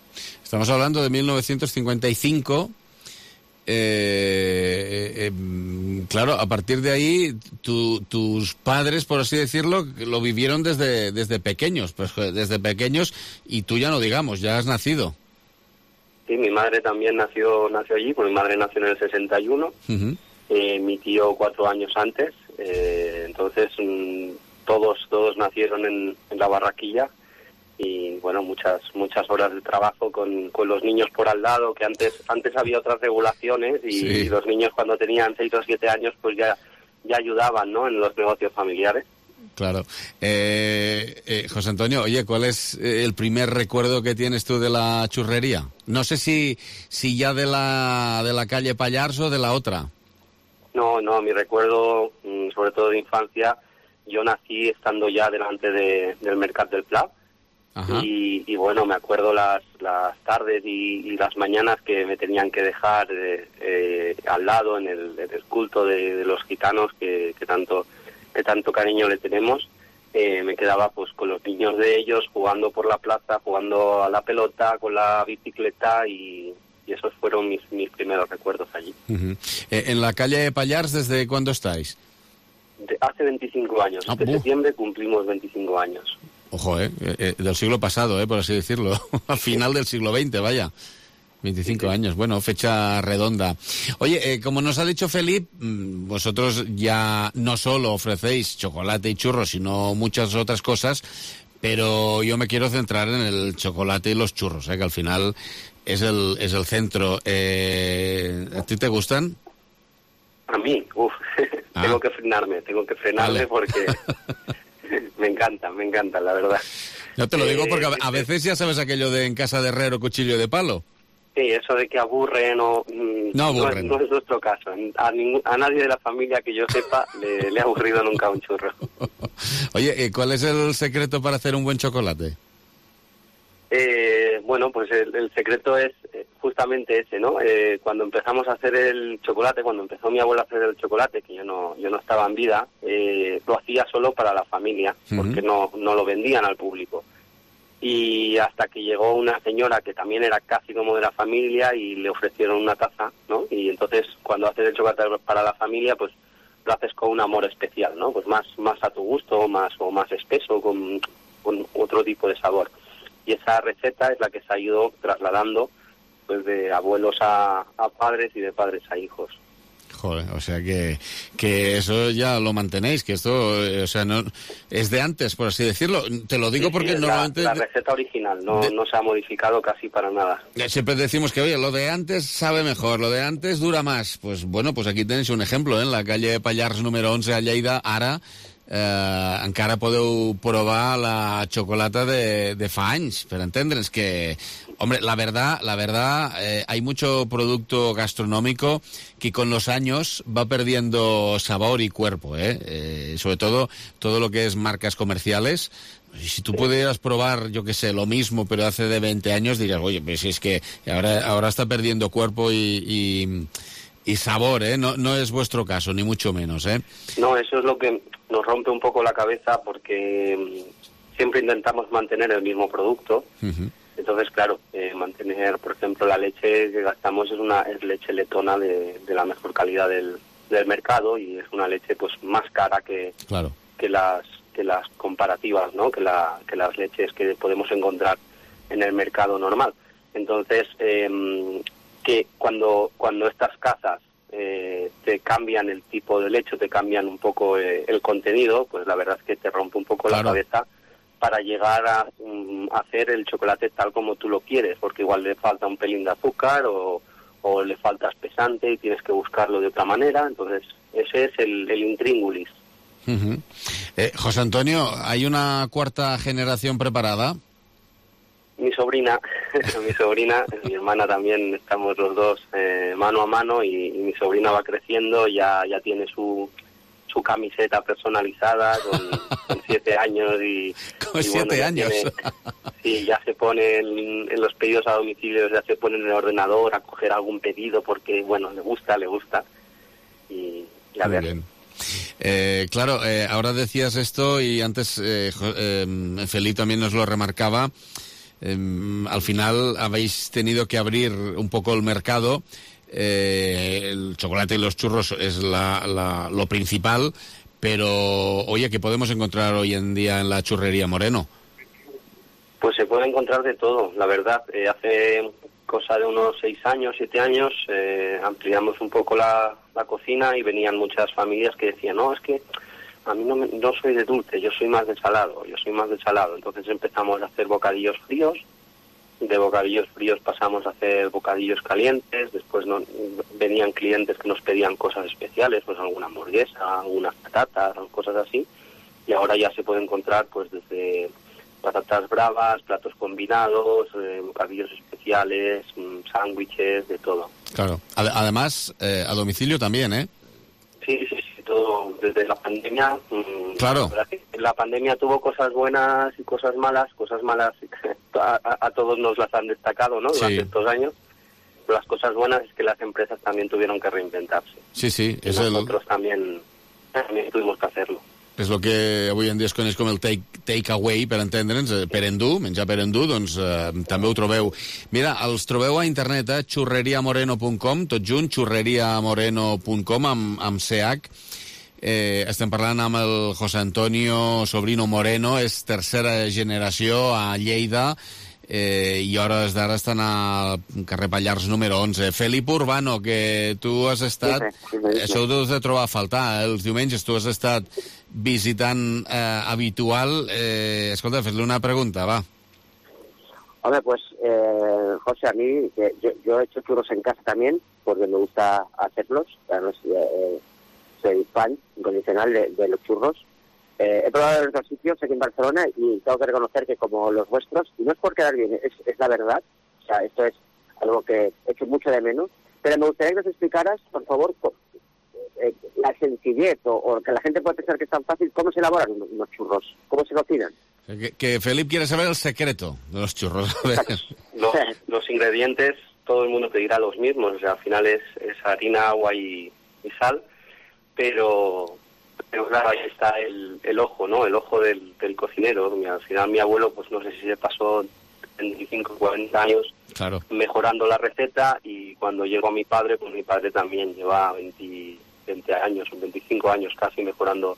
Estamos hablando de 1955. Claro, a partir de ahí, tus padres, por así decirlo, lo vivieron desde pequeños, pues desde pequeños, y tú ya no digamos, ya has nacido. Sí, mi madre también nació allí, pues mi madre nació en el 61, mi tío 4 años antes, entonces todos nacieron en la barraquilla y bueno, muchas horas de trabajo con los niños por al lado, que antes había otras regulaciones y los niños cuando tenían 6 o 7 años pues ya ayudaban, ¿no?, en los negocios familiares. Claro. José Antonio, oye, ¿cuál es el primer recuerdo que tienes tú de la churrería? No sé si ya de la calle Pallars o de la otra. No, mi recuerdo, sobre todo de infancia, yo nací estando ya delante del Mercat del Pla. Y bueno, me acuerdo las tardes y las mañanas que me tenían que dejar al lado en el culto de los gitanos que tanto cariño le tenemos. Me quedaba pues con los niños de ellos, jugando por la plaza, jugando a la pelota, con la bicicleta y y esos fueron mis primeros recuerdos allí. En la calle Pallars, ¿desde cuándo estáis? Hace 25 años. Este septiembre cumplimos 25 años. Ojo, del siglo pasado, por así decirlo. Al final del siglo XX, vaya. 25 años, bueno, fecha redonda. Oye, como nos ha dicho Felip, vosotros ya no solo ofrecéis chocolate y churros, sino muchas otras cosas, pero yo me quiero centrar en el chocolate y los churros, que al final es el centro. ¿A ti te gustan? A mí, tengo que frenarme vale. Porque me encanta, la verdad. Yo te lo digo porque a veces ya sabes aquello de en casa de herrero, cuchillo de palo. Sí, eso de que aburren no aburren. No es nuestro caso. A nadie de la familia que yo sepa le ha aburrido nunca un churro. Oye, ¿cuál es el secreto para hacer un buen chocolate? Bueno, pues el secreto es justamente ese, ¿no? Cuando empezamos a hacer el chocolate, cuando empezó mi abuela a hacer el chocolate, que yo no estaba en vida, lo hacía solo para la familia, porque no lo vendían al público. Y hasta que llegó una señora que también era casi como de la familia y le ofrecieron una taza, ¿no? Y entonces cuando haces el chocolate para la familia, pues lo haces con un amor especial, ¿no? Pues más a tu gusto, más espeso, con otro tipo de sabor. Y esa receta es la que se ha ido trasladando pues de abuelos a padres y de padres a hijos. Joder, o sea que eso ya lo mantenéis, que esto, o sea, no es de antes, por así decirlo. Te lo digo porque normalmente... La receta original, no se ha modificado casi para nada. Siempre decimos que, oye, lo de antes sabe mejor, lo de antes dura más. Pues bueno, pues aquí tenéis un ejemplo, en la calle Pallars número 11 a Lleida, ara encara podeu provar la xocolata de fa anys, per entendre'ns que, hombre, la verdad, hay mucho producto gastronómico que con los años va perdiendo sabor y cuerpo, sobre todo lo que es marcas comerciales. Si tú pudieras probar, yo qué sé, lo mismo, pero hace de 20 años, dirías, oye, pues es que ahora está perdiendo cuerpo y sabor, no es vuestro caso, ni mucho menos, No, eso es lo que nos rompe un poco la cabeza, porque siempre intentamos mantener el mismo producto. Entonces, claro, mantener, por ejemplo, la leche que gastamos es leche letona de la mejor calidad del mercado, y es una leche pues más cara que las comparativas, ¿no? Que las leches que podemos encontrar en el mercado normal. Entonces, que cuando estas cazas te cambian el tipo de leche, te cambian un poco el contenido, pues la verdad es que te rompe un poco la cabeza para llegar a hacer el chocolate tal como tú lo quieres, porque igual le falta un pelín de azúcar o le falta espesante y tienes que buscarlo de otra manera. Entonces ese es el intríngulis. José Antonio, ¿hay una cuarta generación preparada? Mi sobrina, mi hermana también, estamos los dos mano a mano, y mi sobrina va creciendo, ya tiene su camiseta personalizada con 7 años y... ¿Con 7 años? Sí, ya se pone en los pedidos a domicilio, ya se pone en el ordenador a coger algún pedido porque, bueno, le gusta y a ver. Bien. Claro, ahora decías esto y antes Feli también nos lo remarcaba. Al final habéis tenido que abrir un poco el mercado. El chocolate y los churros es lo principal, pero oye, ¿qué podemos encontrar hoy en día en la churrería Moreno? Pues se puede encontrar de todo, la verdad. Hace cosa de unos 6 años, 7 años, ampliamos un poco la cocina y venían muchas familias que decían, no, es que a mí no soy de dulce, yo soy más de salado. Entonces empezamos a hacer bocadillos fríos. De bocadillos fríos pasamos a hacer bocadillos calientes. Después venían clientes que nos pedían cosas especiales, pues alguna hamburguesa, algunas patatas, cosas así. Y ahora ya se puede encontrar pues desde patatas bravas, platos combinados, bocadillos especiales, sándwiches, de todo. Claro. Además, a domicilio también, ¿eh? Sí, todo desde la pandemia. Claro. La pandemia tuvo cosas buenas y cosas malas. A todos nos las han destacado, ¿no? Durante estos años. Pero las cosas buenas es que las empresas también tuvieron que reinventarse. Sí. Y nosotros también tuvimos que hacerlo. És el que avui en dia es coneix com el take away, per entendre'ns, per endur, menjar per endur, doncs també ho trobeu. Mira, els trobeu a internet, churreriamoreno.com, tot junt, churreriamoreno.com, amb CH. Estem parlant amb el José Antonio Sobrino Moreno, és tercera generació a Lleida, i a hores d'ara estan al carrer Pallars número 11. Felip Urbano, que tu has estat... Això ho deus de trobar a faltar, els diumenges tu has estat visitant habitual. Escolta, fes-li una pregunta, va. Hombre, pues, José, a mí, yo he hecho churros en casa también, porque me gusta hacerlos. Además, soy fan incondicional de los churros. He probado en otros sitios aquí en Barcelona y tengo que reconocer que como los vuestros, y no es por quedar bien, es la verdad, o sea, esto es algo que he hecho mucho de menos, pero me gustaría que nos explicaras, por favor, la sencillez o que la gente pueda pensar que es tan fácil, cómo se elaboran unos churros, cómo se cocinan. Que Felip quiere saber el secreto de los churros. Los ingredientes, todo el mundo te dirá los mismos, o sea, al final es harina, agua y sal, pero claro, ahí está el ojo, ¿no? El ojo del cocinero. Al final mi abuelo, pues no sé si se pasó 25, 40 años mejorando la receta, y cuando llegó mi padre, pues mi padre también lleva 20 años, 25 años casi mejorando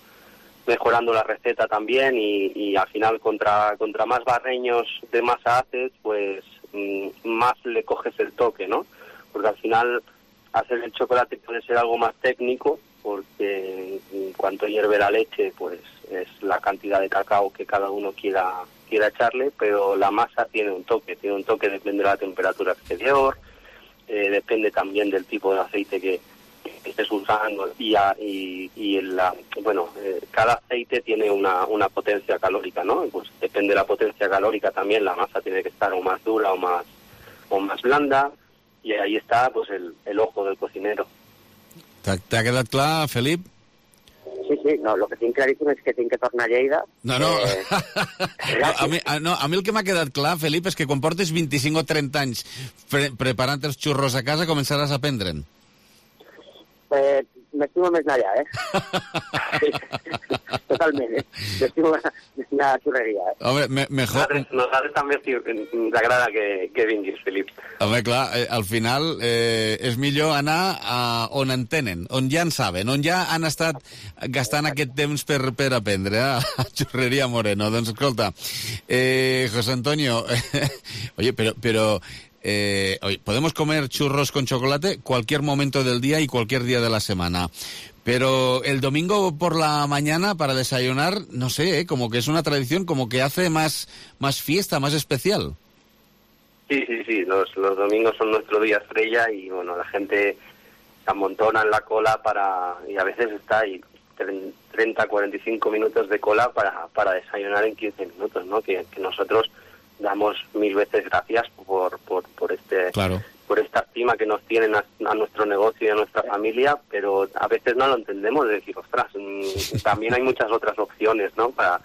la receta también, y al final contra más barreños de masa haces, pues más le coges el toque, ¿no? Porque al final hacer el chocolate puede ser algo más técnico, porque en cuanto hierve la leche, pues es la cantidad de cacao que cada uno quiera echarle, pero la masa tiene un toque, depende de la temperatura exterior, depende también del tipo de aceite que estés usando, cada aceite tiene una potencia calórica, ¿no? Pues depende de la potencia calórica también, la masa tiene que estar o más dura o más blanda, y ahí está pues el ojo del cocinero. T'ha quedat clar, Felip? Sí, no, lo que tinc claríssim és que tinc que tornar a Lleida. No. A mi el que m'ha quedat clar, Felip, és que quan portes 25 o 30 anys preparant els xurros a casa començaràs a aprendre'n. M'estimo més allà, Totalment, M'estimo la xurreria, Home, mejor... Nosaltres també ens agrada que vinguis, Felip. Home, clar, al final és millor anar on en tenen, on ja en saben, on ja han estat gastant aquest temps per aprendre, a Churreria Moreno. Doncs escolta, José Antonio, oye, pero podemos comer churros con chocolate cualquier momento del día y cualquier día de la semana. Pero el domingo por la mañana para desayunar, no sé, como que es una tradición, como que hace más fiesta, más especial. Sí, los domingos son nuestro día estrella, y bueno, la gente se amontona en la cola y a veces está ahí 30, 45 minutos de cola para desayunar en 15 minutos, ¿no? Que nosotros damos 1000 veces gracias por esta estima que nos tienen a nuestro negocio y a nuestra familia, pero a veces no lo entendemos, de decir, ostras, también hay muchas otras opciones, ¿no? Para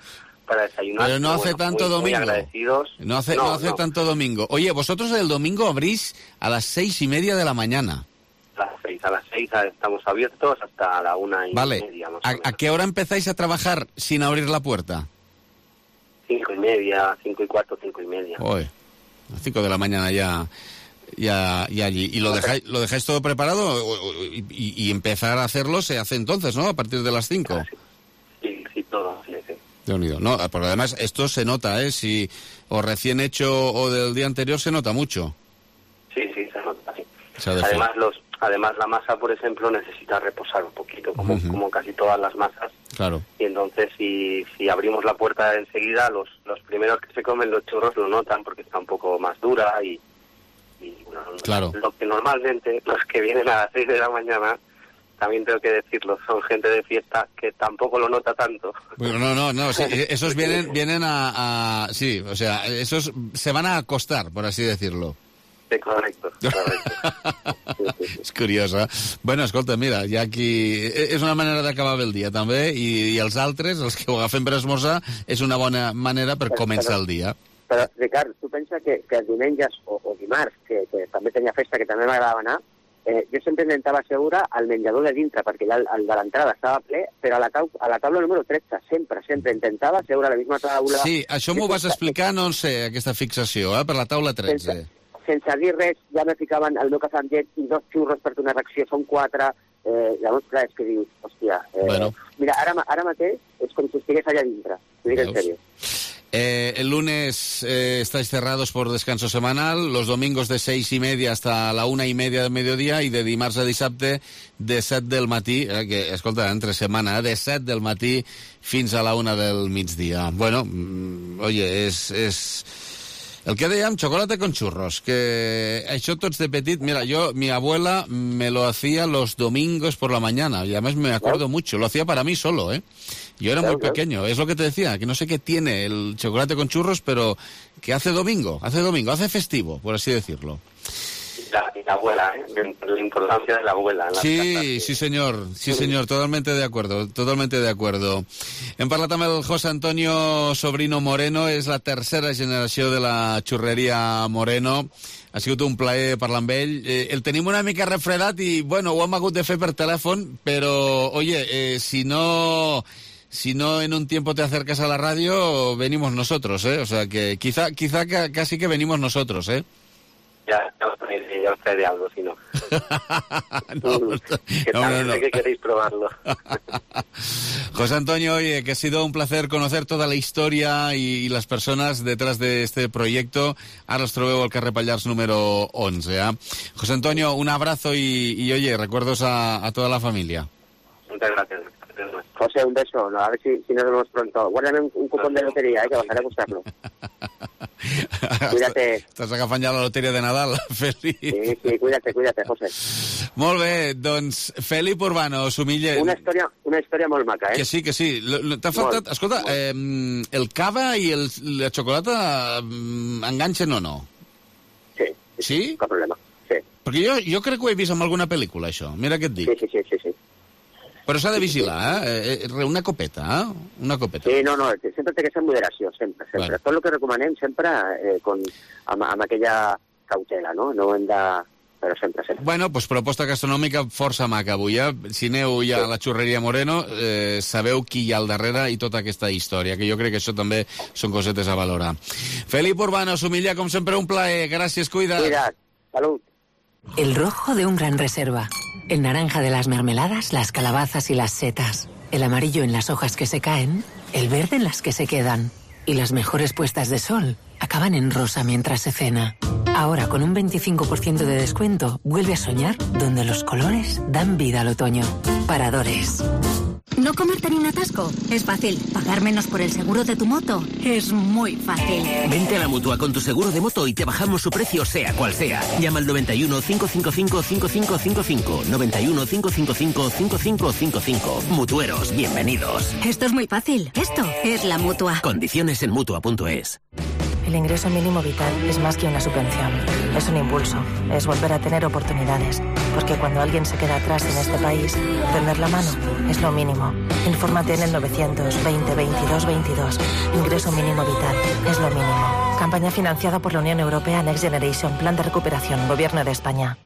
desayunar. Pero no hace tanto domingo. Muy agradecidos. No hace tanto domingo. Oye, vosotros el domingo abrís a las 6:30 de la mañana. A las 6 estamos abiertos hasta la 1:30. Vale. ¿A qué hora empezáis a trabajar sin abrir la puerta? 5:30, 5:15, 5:30. Oye, a las 5 de la mañana ya allí. ¿Y lo dejáis todo preparado? Y empezar a hacerlo se hace entonces, ¿no? A partir de las 5. Sí, todo, sí. De unido. No, porque además esto se nota, si o recién hecho o del día anterior se nota mucho. Sí, se nota, sí. Además la masa, por ejemplo, necesita reposar un poquito, como casi todas las masas. Claro. Y entonces si abrimos la puerta enseguida, los primeros que se comen los churros lo notan porque está un poco más dura y bueno, claro. Lo que normalmente los que vienen a las 6 de la mañana, también tengo que decirlo, son gente de fiesta que tampoco lo nota tanto. Bueno, no, sí, esos vienen a sí, o sea, esos se van a acostar, por así decirlo. Sí, correcto. És curiosa. Bueno, escolta, mira, ja aquí... És una manera d'acabar bé el dia, també, i els altres, els que ho agafen per esmorzar, és una bona manera per començar el dia. Però, Ricard, tu pensa que els diumenges o dimarts, que també tenia festa, que també m'agradava anar, jo sempre intentava asseure al menjador de dintre, perquè el de l'entrada estava ple, però a la taula número 13, sempre intentava asseure a la misma taula. Sí, això m'ho vas explicar, no sé, aquesta fixació, per la taula 13. Sense dir res, ja me ficaven el meu cafè amb llet i 2 xurros perquè una reacció són 4. Llavors, clar, és que dius, hòstia... Mira, ara mateix és com si estigués allà dintre, t'ho dic en sèrio. El lunes estáis cerrados por descanso semanal, los domingos de 6:30 hasta la 1:30 del mediodía y de dimarts a dissabte de 7 del matí, que, escolta, entre setmana, de 7 del matí fins a la 1 del migdia. Bueno, oye, és... El que dèiem, chocolate con churros, que això tots de petit... Mira, mi abuela me lo hacía los domingos por la mañana, y además me acuerdo mucho, lo hacía para mí solo, ¿eh? Yo era muy pequeño, es lo que te decía, que no sé qué tiene el chocolate con churros, pero que hace domingo, hace festivo, por así decirlo. La abuela, la importancia de la abuela. Sí, señor, totalmente de acuerdo. Hem parlat amb el José Antonio Sobrino Moreno, és la tercera generació de la xurreria Moreno. Ha sigut un plaer parlar amb ell. El tenim una mica refredat i, bueno, ho hem hagut de fer per telèfon, però, oye, si no en un tiempo te acercas a la radio, venimos nosotros, ¿eh? O sea, que quizá casi que venimos nosotros, ¿eh? Ya os traeré algo, si no. No. Que queréis probarlo. José Antonio, oye, que ha sido un placer conocer toda la historia y las personas detrás de este proyecto. Ara els trobeu al carrer Pallars número 11. José Antonio, un abrazo y oye, recuerdos a toda la familia. Muchas gracias. José, un beso. No, a ver si nos vemos pronto. Guárdame un cupón de lotería, que bajaré a buscarlo. Cuídate. Estàs agafant ja la loteria de Nadal, Feli. Sí, cuídate, José. Molt bé, doncs, Felip Urbano, Sumiller... Una història molt maca, eh? Que sí. T'ha faltat... Escolta, el cava i la xocolata enganxen o no? Sí? Cap problema, sí. Perquè jo crec que ho he vist en alguna pel·lícula, això. Mira què et dic. Sí. Però s'ha de vigilar, una copeta, Una copeta. Sí, no, sempre té que ser en moderació, sempre. Bueno. Tot el que recomanem sempre amb aquella cautela, no? No hem de... Però sempre. Bueno, doncs proposta gastronòmica força maca avui, Si aneu ja a la xurreria Moreno, sabeu qui hi ha al darrere i tota aquesta història, que jo crec que això també són cosetes a valorar. Felip Urbano, Sumilla, com sempre, un plaer. Gràcies, cuida't. Cuida't. Salut. El rojo de un gran reserva, el naranja de las mermeladas, las calabazas y las setas, el amarillo en las hojas que se caen, el verde en las que se quedan. Y las mejores puestas de sol acaban en rosa mientras se cena. Ahora, con un 25% de descuento, vuelve a soñar donde los colores dan vida al otoño. Paradores. ¿No comerte ni un atasco? Es fácil. ¿Pagar menos por el seguro de tu moto? Es muy fácil. Vente a la Mutua con tu seguro de moto y te bajamos su precio sea cual sea. Llama al 91 555 5555. 91 555 5555. Mutueros, bienvenidos. Esto es muy fácil. Esto es la Mutua. Condiciones en Mutua.es. El ingreso mínimo vital es más que una subvención. Es un impulso. Es volver a tener oportunidades. Porque cuando alguien se queda atrás en este país, tender la mano es lo mínimo. Infórmate en el 920 22 22. Ingreso mínimo vital es lo mínimo. Campaña financiada por la Unión Europea Next Generation. Plan de recuperación. Gobierno de España.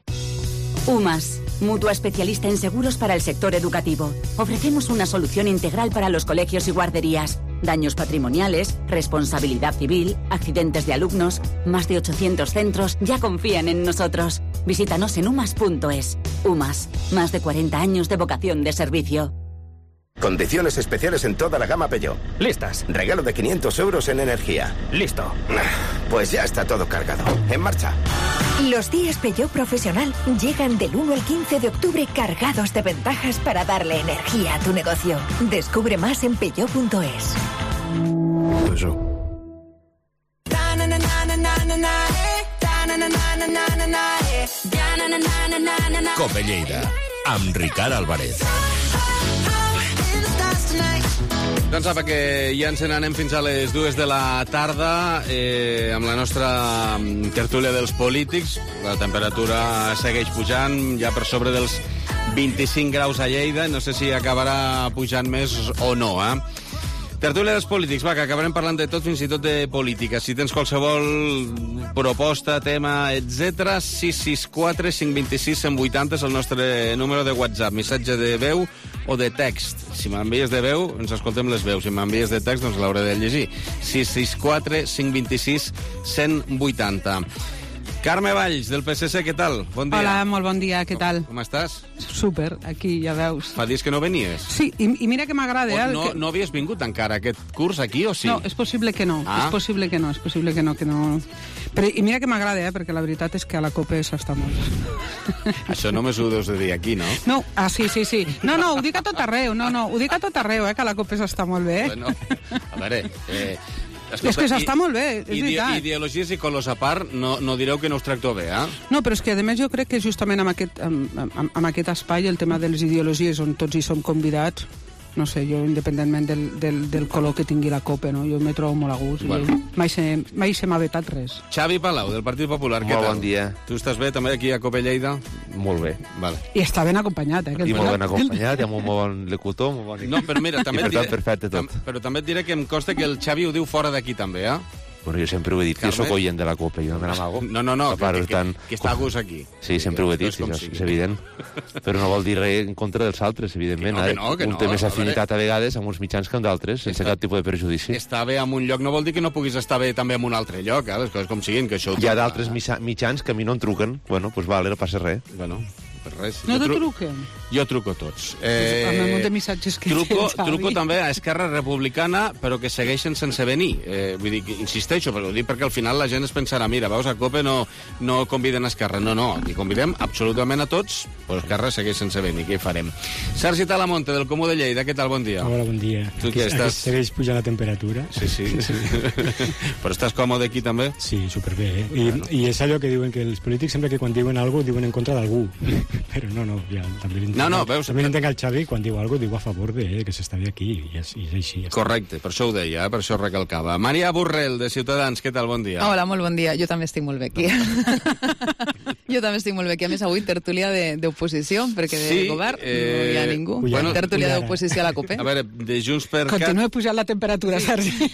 UMAS, mutua especialista en seguros para el sector educativo. Ofrecemos una solución integral para los colegios y guarderías. Daños patrimoniales, responsabilidad civil, accidentes de alumnos. Más de 800 centros ya confían en nosotros. Visítanos en umas.es. UMAS, más de 40 años de vocación de servicio. Condiciones especiales en toda la gama Peugeot. Listas. Regalo de 500 euros en energía. Listo. Pues ya está todo cargado. En marcha. Los días Peugeot Profesional llegan del 1 al 15 de octubre cargados de ventajas para darle energía a tu negocio. Descubre más en peugeot.es. Cope Lleida, amb Ricard Álvarez. Doncs apa, que ja ens n'anem fins a les 2 de la tarda amb la nostra tertúlia dels polítics. La temperatura segueix pujant, ja per sobre dels 25 graus a Lleida. No sé si acabarà pujant més o no, Tertúlia dels polítics, va, que acabarem parlant de tot, fins i tot de política. Si tens qualsevol proposta, tema, etc., 664 526 180 és el nostre número de WhatsApp. Missatge de veu o de text. Si m'envies de veu, ens escoltem les veus. Si m'envies de text, doncs l'hauré de llegir. 664 526 180. Carme Valls, del PSC, què tal? Bon dia. Hola, molt bon dia, què tal? Com estàs? Súper, aquí, ja veus. Fa dies que no venies. Sí, i mira que m'agrada. No havies vingut encara aquest curs aquí, o sí? No, és possible que no, és possible que no. Però, i mira que m'agrada, perquè la veritat és que a la COPE s'està molt. Això només ho deus de dir aquí, no? No, sí. No, ho dic a tot arreu, ho dic a tot arreu, que a la COPE s'està molt bé. Bueno, a veure... Escolta, és que s'està molt bé, és veritat. Ideologies i colors a part, no direu que no us tracto bé, eh? No, però és que, a més, jo crec que justament en aquest espai el tema de les ideologies on tots hi som convidats, no sé, jo, independentment del color que tingui la COPE, no? Jo me trobo molt a gust. Bueno. Mai se m'ha vetat res. Xavi Palau, del Partit Popular, què tal? Molt bon dia. Tu estàs bé també aquí a COPE Lleida? Molt bé. Vale. I està ben acompanyat, I molt ben acompanyat, i amb un molt bon locutor, molt bon... No, però mira, també i per tant, perfecte tot. Però també et diré que em consta que el Xavi ho diu fora d'aquí també, eh? Bueno, jo sempre ho he dit, Carme? jo soc oient de la COPE, jo no me n'amago. No, que està a gust aquí. Sí, sempre ho he dit, és evident. Però no vol dir res en contra dels altres, evidentment. Un té més afinitat a vegades amb uns mitjans que amb d'altres, sense cap tipus de perjudici. Estar bé en un lloc no vol dir que no puguis estar bé també en un altre lloc, les coses com siguin, que això... Hi ha d'altres mitjans que a mi no em truquen, bueno, doncs vale, no passa res. Bueno, per res. No te truquen? Jo truco tots. Amb el munt de missatges que truco també a Esquerra Republicana, però que segueixen sense venir. Vull dir, insisteixo, però ho dic perquè al final la gent es pensarà, mira, veus, a COPE no conviden a Esquerra. No, aquí convidem absolutament a tots, però Esquerra segueix sense venir, què hi farem? Sergi Talamonte, del Comú de Lleida, què tal, bon dia? Hola, bon dia. Tu què estàs? Segueix pujant la temperatura. Sí. Però estàs còmode aquí també? Sí, superbé, I és allò que diuen que els polítics sempre que quan diuen alguna cosa diuen en contra d'algú. Però no, ja, també veus? També entenc el Xavi, quan diu alguna cosa, diu a favor de que s'està bé aquí, i és així. Correcte, per això ho deia, per això ho recalcava. Maria Borrell, de Ciutadans, què tal, bon dia? Hola, molt bon dia. Jo també estic molt bé aquí. Jo també estic molt bé aquí. A més, avui tertúlia d'oposició, perquè de govern no hi ha ningú. Tertúlia d'oposició a la COPE. A veure, de Junts per Cat... Continua pujant la temperatura, Sergi.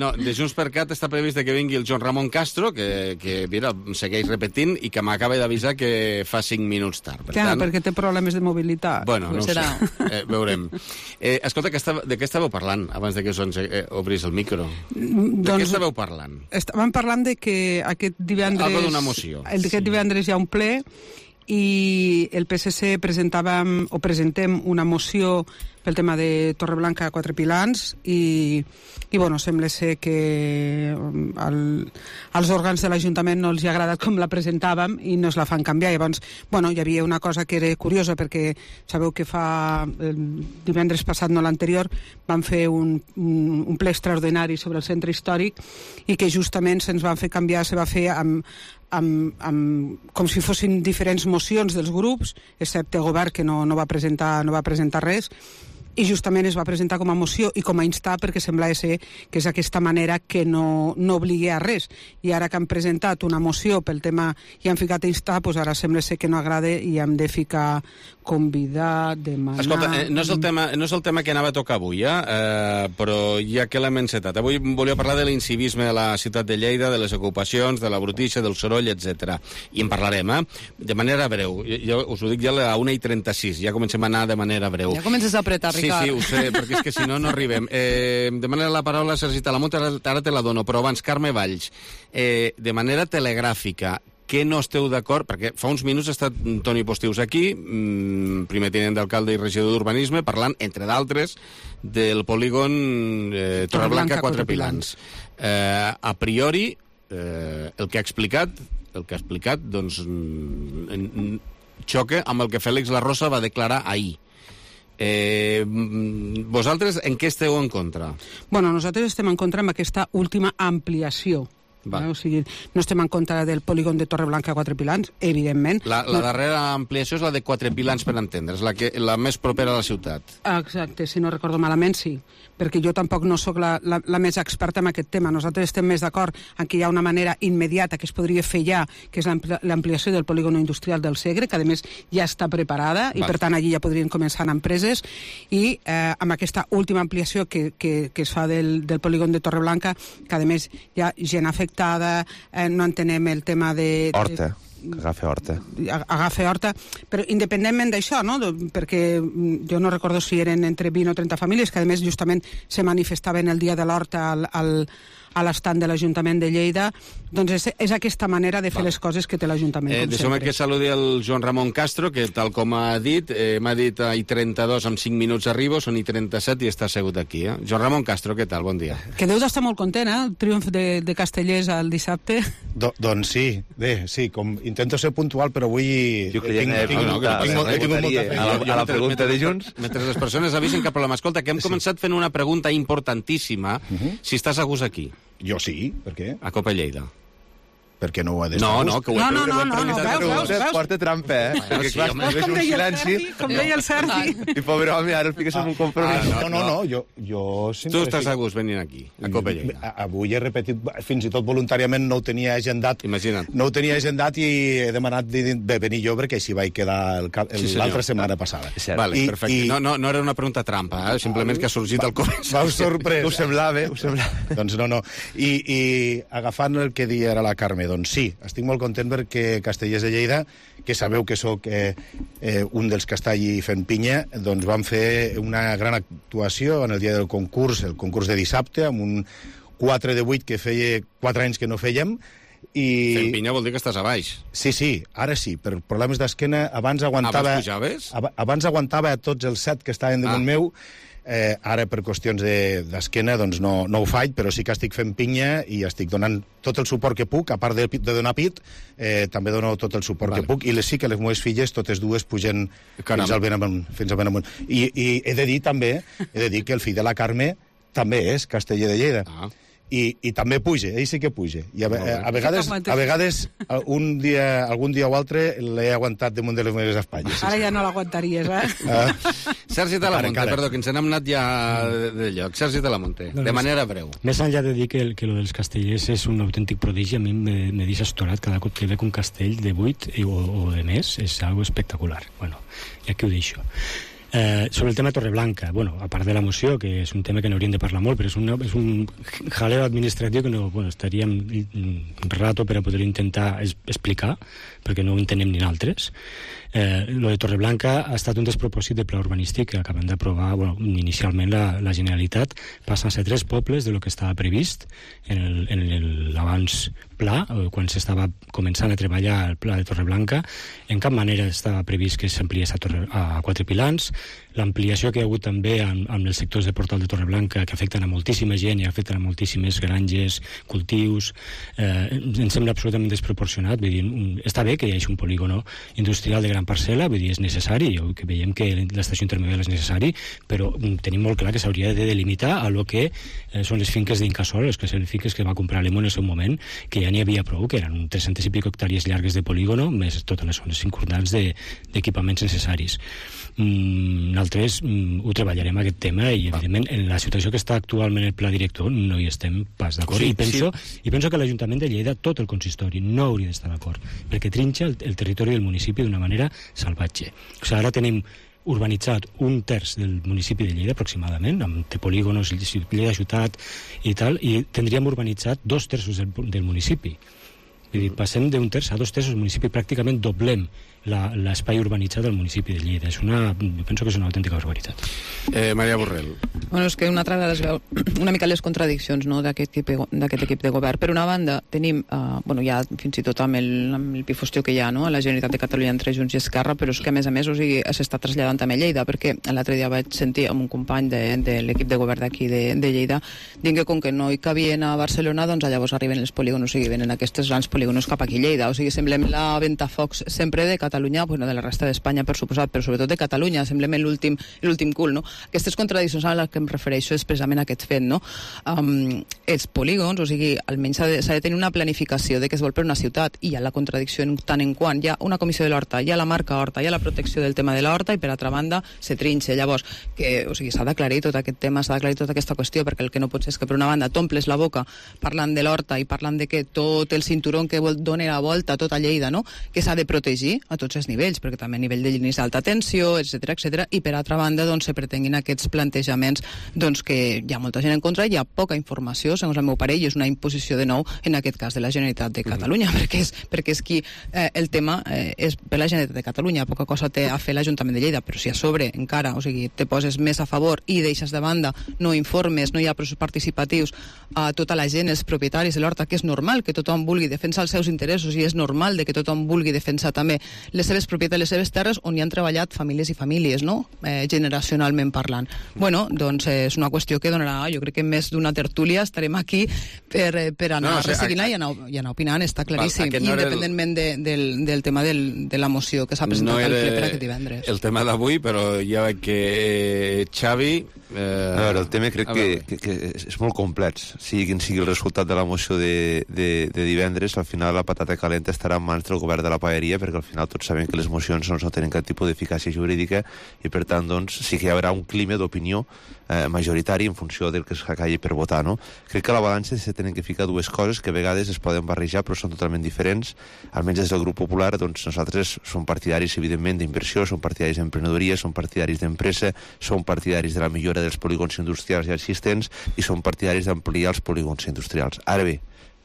No, de Junts per Cat està previst que vingui el Joan Ramon Castro, que mira, segueix repetint i que m'acaba d'avisar que fa 5 minuts tard. Clar, perquè té problemes de mobilitat. Bueno, no ho sé. Veurem. Escolta, de què estàveu parlant abans de que obris el micro? De què estàveu parlant? Estàvem parlant de que aquest divendres... Algo d'una moció. Aquest divendres hi ha un ple i el PSC presentem una moció pel tema de Torreblanca 4 Pilans i bueno, sembla ser que als òrgans de l'Ajuntament no els hi ha agradat com la presentàvem i no es la fan canviar. Llavors, bueno, hi havia una cosa que era curiosa perquè sabeu que el divendres passat, no l'anterior, van fer un ple extraordinari sobre el centre històric i que justament se'ns van fer canviar, se va fer com si fossin diferents mocions dels grups, excepte el govern que no va presentar res, i justament es va presentar com a moció i com a instar perquè semblava ser que és aquesta manera que no obligui a res. I ara que han presentat una moció pel tema i han ficat a instar, doncs ara sembla ser que no agrada i hem de ficar convidar, demanar... Escolta, no és el tema que anava a tocar avui, però ja que l'hem encetat. Avui volia parlar de l'incivisme a la ciutat de Lleida, de les ocupacions, de la brutícia, del soroll, etc. I en parlarem, de manera breu. Jo us ho dic ja a la 1:36, ja comencem a anar de manera breu. Ja comences a apretar, Ricard. Sí, ho sé, perquè és que si no arribem. Demana la paraula Sergi Talamonte, ara te la dono, però abans, Carme Valls, de manera telegràfica, que no esteu d'acord, perquè fa uns minuts ha estat Toni Postius aquí, primer tinent d'alcalde i regidor d'Urbanisme, parlant, entre d'altres, del polígon Torreblanca 4 Pilans. A priori, el que ha explicat, doncs, xoca amb el que Fèlix La Rosa va declarar ahir. Vosaltres en què esteu en contra? Bueno, nosaltres estem en contra amb aquesta última ampliació O sigui, no estem en contra del polígon de Torreblanca a Quatre Pilans, evidentment. La darrera ampliació és la de Quatre Pilans, per entendre's, la més propera a la ciutat. Exacte, si no recordo malament, sí, perquè jo tampoc no sóc la més experta en aquest tema. Nosaltres estem més d'acord en que hi ha una manera immediata que es podria fer ja, que és l'ampliació del polígon industrial del Segre, que a més ja està preparada i per tant allí ja podrien començar empreses, i amb aquesta última ampliació que es fa del polígon de Torreblanca, que a més hi ha gent afectada, no entenem el tema de... Horta. Agafa horta, però independentment d'això, no? Perquè jo no recordo si eren entre 20 o 30 famílies que a més justament se manifestaven el dia de l'horta a l'estand de l'Ajuntament de Lleida, doncs és aquesta manera de fer les coses que té l'Ajuntament, com Deixeu-me sempre. que saludi el Joan Ramon Castro, que tal com m'ha dit i 32 en 5 minuts arribo, són i 37 i està assegut aquí. Joan Ramon Castro, què tal? Bon dia. Que deus estar molt content, el triomf de Castellers el dissabte. Doncs sí, bé, sí, com intento ser puntual, però avui... Jo creia que a la pregunta de Junts. Mentre les persones avisen cap problema. Escolta, que hem començat fent una pregunta importantíssima, si estàs a gust aquí. Jo sí, per què? A Copa Lleida. Per què no ho ha d'estar? No, que ho he veus? Porta trampa, perquè clar, com deia el Sergi. I pobre home, ara el fiques en un compromís. No, jo tu estàs a gust venint aquí, a Copa Lleida. Avui he repetit, fins i tot voluntàriament no ho tenia agendat. Imagina't. No ho tenia agendat i he demanat de venir jo perquè així vaig quedar l'altra setmana passada. Vale, perfecte. No era una pregunta trampa, simplement que ha sorgit al començ. Vau sorprès. Ho semblava. Doncs no. I agafant el que dia era la Carme, doncs sí, estic molt content perquè Castellers de Lleida, que sabeu que sóc un dels que està allí fent pinya, doncs vam fer una gran actuació en el dia del concurs, el concurs de dissabte, amb un 4 de 8 que feia 4 anys que no fèiem. Fent pinya vol dir que estàs a baix. Sí, ara sí, per problemes d'esquena abans aguantava... Abans pujaves? Abans aguantava tots els 7 que estaven damunt meu. Ara per qüestions d'esquena doncs no ho faig, però sí que estic fent pinya i estic donant tot el suport que puc, a part de donar pit, també dono tot el suport que puc, i sí que les meves filles, totes dues, pugen fins al ben amunt. I he de dir també, que el fill de la Carme també és casteller de Lleida. I també puja, ell sí que puja. I a vegades algun dia o altre l'he aguantat damunt de les meves espatlles. Ara ja no l'aguantaries, Sergi Talamonte, perdó, que ens n'hem anat ja de lloc. Sergi Talamonte, de manera breu. Més enllà de dir que lo dels castellers és un autèntic prodigi, a mi me deixa estorat cada cop que veig un castell de 8 o de més, és algo espectacular. Bueno, ja que ho deixo. Sobre el tema Torreblanca, a part de la moció, que és un tema que n'hauríem de parlar molt, però és un jaleo administratiu que estaríem un rato per a poder intentar explicar, perquè no ho entenem ni nosaltres. Lo de Torreblanca ha estat un despropòsit de pla urbanístic que acaben d'aprovar inicialment la Generalitat. Passen a ser 3 pobles de lo que estava previst en l'abans pla, quan s'estava començant a treballar el pla de Torreblanca. En cap manera estava previst que s'ampliés a Quatre Pilans. L'ampliació que hi ha hagut també amb els sectors de Portal de Torreblanca, que afecten a moltíssima gent i afecten a moltíssimes granges, cultius, ens sembla absolutament desproporcionat. Vull dir, està bé que hi hagi un polígono industrial de gran parcel·la, vull dir, és necessari, que veiem que l'estació intermedial és necessari, però tenim molt clar que s'hauria de delimitar a lo que són les finques d'Incasol, les finques que va comprar l'EMO en el seu moment, que ja n'hi havia prou, que eren 300 i pico hectàrees llargues de polígono, més totes les zones circundants d'equipaments necessaris. Nosaltres ho treballarem aquest tema i evidentment en la situació que està actualment el pla director no hi estem pas d'acord, i penso que l'Ajuntament de Lleida, tot el consistori, no hauria d'estar d'acord, perquè trinxa el territori del municipi d'una manera salvatge. O sigui, ara tenim urbanitzat 1/3 del municipi de Lleida aproximadament, amb polígonos, Lleida ciutat i tal, i tindríem urbanitzat 2/3 del municipi. Vull dir, passem d'un terç a 2/3 del municipi, pràcticament doblem l'espai urbanitzat del municipi de Lleida. Penso que és una autèntica barbaritat. Maria Borrell. És que una altra vegada es veu una mica les contradiccions, no, d'aquest equip de govern. Per una banda, tenim, ja fins i tot amb el pifostió que hi ha, no, a la Generalitat de Catalunya entre Junts i Esquerra, però és que a més s'està traslladant també a Lleida, perquè l'altre dia vaig sentir amb un company de l'equip de govern d'aquí de Lleida dient que com que no hi cabien a Barcelona, doncs llavors arriben els polígonos i venen aquestes grans polígonos polígonos cap aquí a Lleida. O sigui, semblem la ventafocs sempre de Catalunya, bueno, de la resta d'Espanya, per suposat, però sobretot de Catalunya, semblem l'últim cul, no? Aquestes contradiccions a les que em refereixo és precisament aquest fet, no? Els polígons, o sigui, almenys s'ha de tenir una planificació de què es vol per una ciutat, i hi ha la contradicció tant en quant hi ha una comissió de l'horta, hi ha la marca horta, hi ha la protecció del tema de l'horta, i per altra banda se trinxa. Llavors, o sigui, s'ha d'aclarir tot aquest tema, s'ha d'aclarir tota aquesta qüestió, perquè el que no pot ser és que per una banda t'omples la boca parlant de l'horta i parlant de que tot el cinturó que dona la volta a tota Lleida, no?, que s'ha de protegir a tots els nivells, perquè també a nivell de línies d'alta tensió, etc, i per altra banda doncs, se pretenguin aquests plantejaments doncs, que hi ha molta gent en contra, hi ha poca informació, segons el meu pare, i és una imposició de nou, en aquest cas de la Generalitat de Catalunya, perquè és qui el tema és per la Generalitat de Catalunya, poca cosa té a fer l'Ajuntament de Lleida, però si a sobre encara, o sigui, te poses més a favor i deixes de banda, no informes, no hi ha processos participatius a tota la gent, els propietaris de l'horta, que és normal que tothom vulgui defensar els seus interessos i és normal de que tothom vulgui defensar també les seves propietats, les seves terres on hi han treballat famílies i famílies, no?, generacionalment parlant. Bueno, doncs és una qüestió que donarà, jo crec que més d'una tertúlia estarem aquí per anar resseguint-la i anar opinant, està claríssim, independentment del tema de la moció que s'ha presentat al ple per aquest divendres. El tema d'avui, però ja veig que Xavi... A veure, el tema crec que és molt complex. Sigui quin sigui el resultat de la moció de divendres, al final la patata calenta estarà en mans del govern de la paeria, perquè al final tots sabem que les mocions no tenen cap tipus d'eficàcia jurídica i per tant doncs sí que hi haurà un clima d'opinió majoritari en funció del que es calli per votar, no? Crec que a la balança se tenen que ficar dues coses que a vegades es poden barrejar però són totalment diferents. Almenys des del grup popular doncs nosaltres som partidaris evidentment d'inversió, som partidaris d'emprenedoria, som partidaris d'empresa, som partidaris de la millora dels polígons industrials ja existents i som partidaris d'ampliar els polígons industrials. Ara bé,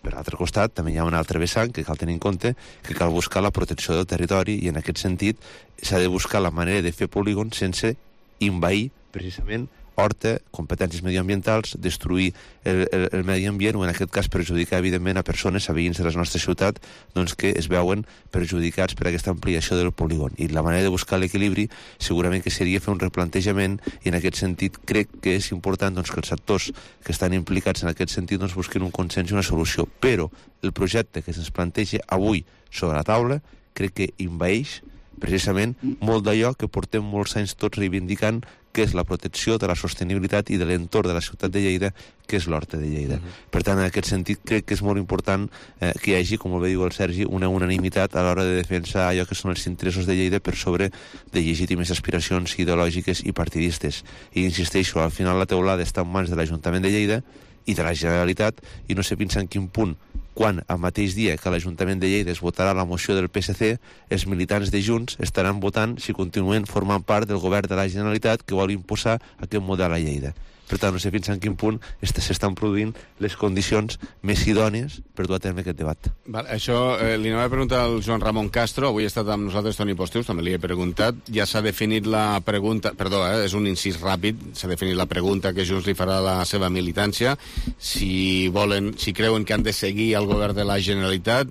per l'altre costat també hi ha un altre vessant que cal tenir en compte, que cal buscar la protecció del territori i en aquest sentit s'ha de buscar la manera de fer polígons sense envair precisament horta, competències mediambientals, destruir el medi ambient o en aquest cas perjudicar evidentment a persones, a veïns de la nostra ciutat doncs, que es veuen perjudicats per aquesta ampliació del polígon. I la manera de buscar l'equilibri segurament que seria fer un replantejament i en aquest sentit crec que és important doncs, que els actors que estan implicats en aquest sentit doncs, busquin un consens i una solució. Però el projecte que se'ns planteja avui sobre la taula crec que envaeix precisament molt d'allò que portem molts anys tots reivindicant, que és la protecció de la sostenibilitat i de l'entorn de la ciutat de Lleida, que és l'Horta de Lleida. Per tant, en aquest sentit, crec que és molt important que hi hagi, com bé diu el Sergi, una unanimitat a l'hora de defensar allò que són els interessos de Lleida per sobre de legítimes aspiracions ideològiques i partidistes. I insisteixo, al final la teulada està en mans de l'Ajuntament de Lleida i de la Generalitat, i no sé fins en quin punt quan al mateix dia que l'Ajuntament de Lleida es votarà la moció del PSC, els militants de Junts estaran votant si continuen formant part del govern de la Generalitat que vol imposar aquest model a Lleida. Per tant, no sé fins en quin punt s'estan produint les condicions més idònies per dur a terme aquest debat. Això li anava a preguntar al Joan Ramon Castro, avui ha estat amb nosaltres Toni Postius, també li he preguntat, ja s'ha definit la pregunta, perdó, és un incís ràpid, s'ha definit la pregunta que Junts li farà a la seva militància, si creuen que han de seguir al govern de la Generalitat.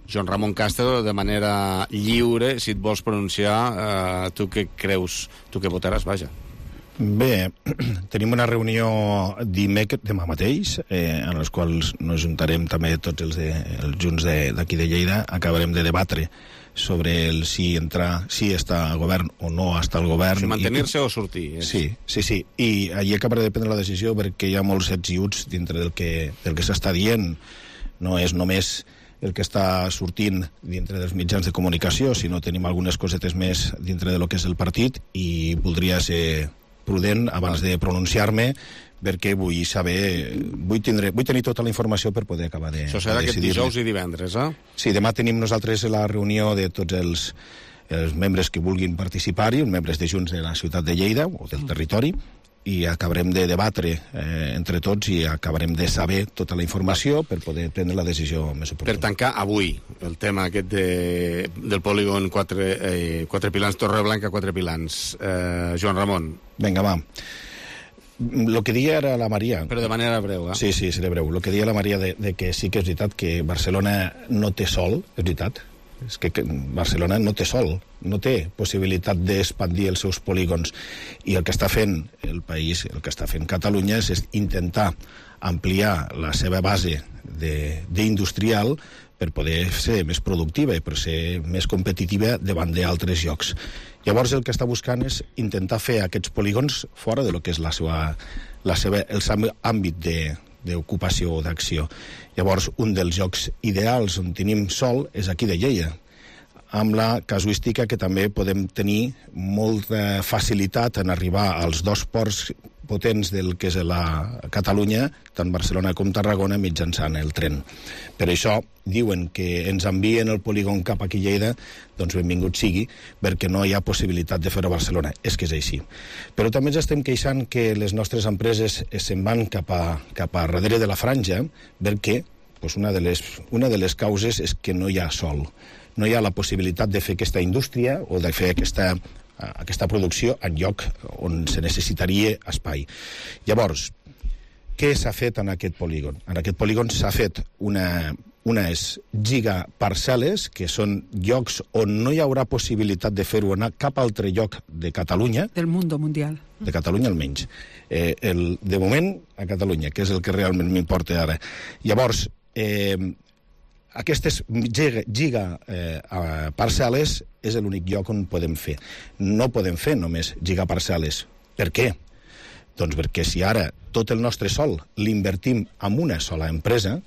Joan Ramon Castro, de manera lliure, si et vols pronunciar, tu què creus, tu què votaràs, vaja. Bé, tenim una reunió demà mateix, en les quals nos juntarem també tots els junts d'aquí de Lleida, acabarem de debatre sobre si està al govern o no està al govern. Si mantenir-se o sortir. Sí, i allí acabaré de prendre la decisió perquè hi ha molts ets i uts dintre del que s'està dient. No és només el que està sortint dintre dels mitjans de comunicació, sinó tenim algunes cosetes més dintre de lo que és el partit i voldria ser prudent abans de pronunciar-me perquè vull tenir tota la informació per poder acabar de decidir. Això serà aquest dijous i divendres, eh? Sí, demà tenim nosaltres la reunió de tots els membres que vulguin participar-hi, els membres de Junts de la ciutat de Lleida o del territori, i acabarem de debatre entre tots i acabarem de saber tota la informació per poder prendre la decisió més oportuna. Per tancar avui el tema aquest del polígon 4 Pilans, Torreblanca 4 Pilans. Joan Ramon. Vinga, va. Lo que dia era la Maria... Però de manera breu, eh? Sí, seré breu. Lo que dia la Maria de que sí que és veritat que Barcelona no té sol, és veritat. És que Barcelona no té sol, no té possibilitat d'expandir els seus polígons. I el que està fent el país, el que està fent Catalunya és intentar ampliar la seva base d'industrial per poder ser més productiva i per ser més competitiva davant d'altres llocs. Llavors el que està buscant és intentar fer aquests polígons fora de lo que és el seu àmbit d'ocupació o d'acció. Llavors, un dels llocs ideals on tenim sol és aquí de Lleida, amb la casuística que també podem tenir molta facilitat en arribar als dos ports potents del que és la Catalunya, tant Barcelona com Tarragona, mitjançant el tren. Per això diuen que ens envien el polígon cap aquí a Lleida, doncs benvingut sigui, perquè no hi ha possibilitat de fer-ho a Barcelona. És que és així. Però també ens estem queixant que les nostres empreses se'n van cap a darrere de la franja, perquè una de les causes és que no hi ha sol. No hi ha la possibilitat de fer aquesta indústria o de fer aquesta producció en lloc on se necessitaria espai. Llavors, què s'ha fet en aquest polígon? En aquest polígon s'ha fet unes gigaparcel·les, que són llocs on no hi haurà possibilitat de fer-ho anar cap altre lloc de Catalunya. Del mundo mundial. De Catalunya almenys. De moment, a Catalunya, que és el que realment m'importa ara. Llavors, aquestes gigaparcel·les és l'únic lloc on podem fer. No podem fer només gigaparcel·les. Per què? Doncs perquè si ara tot el nostre sol l'invertim en una sola empresa,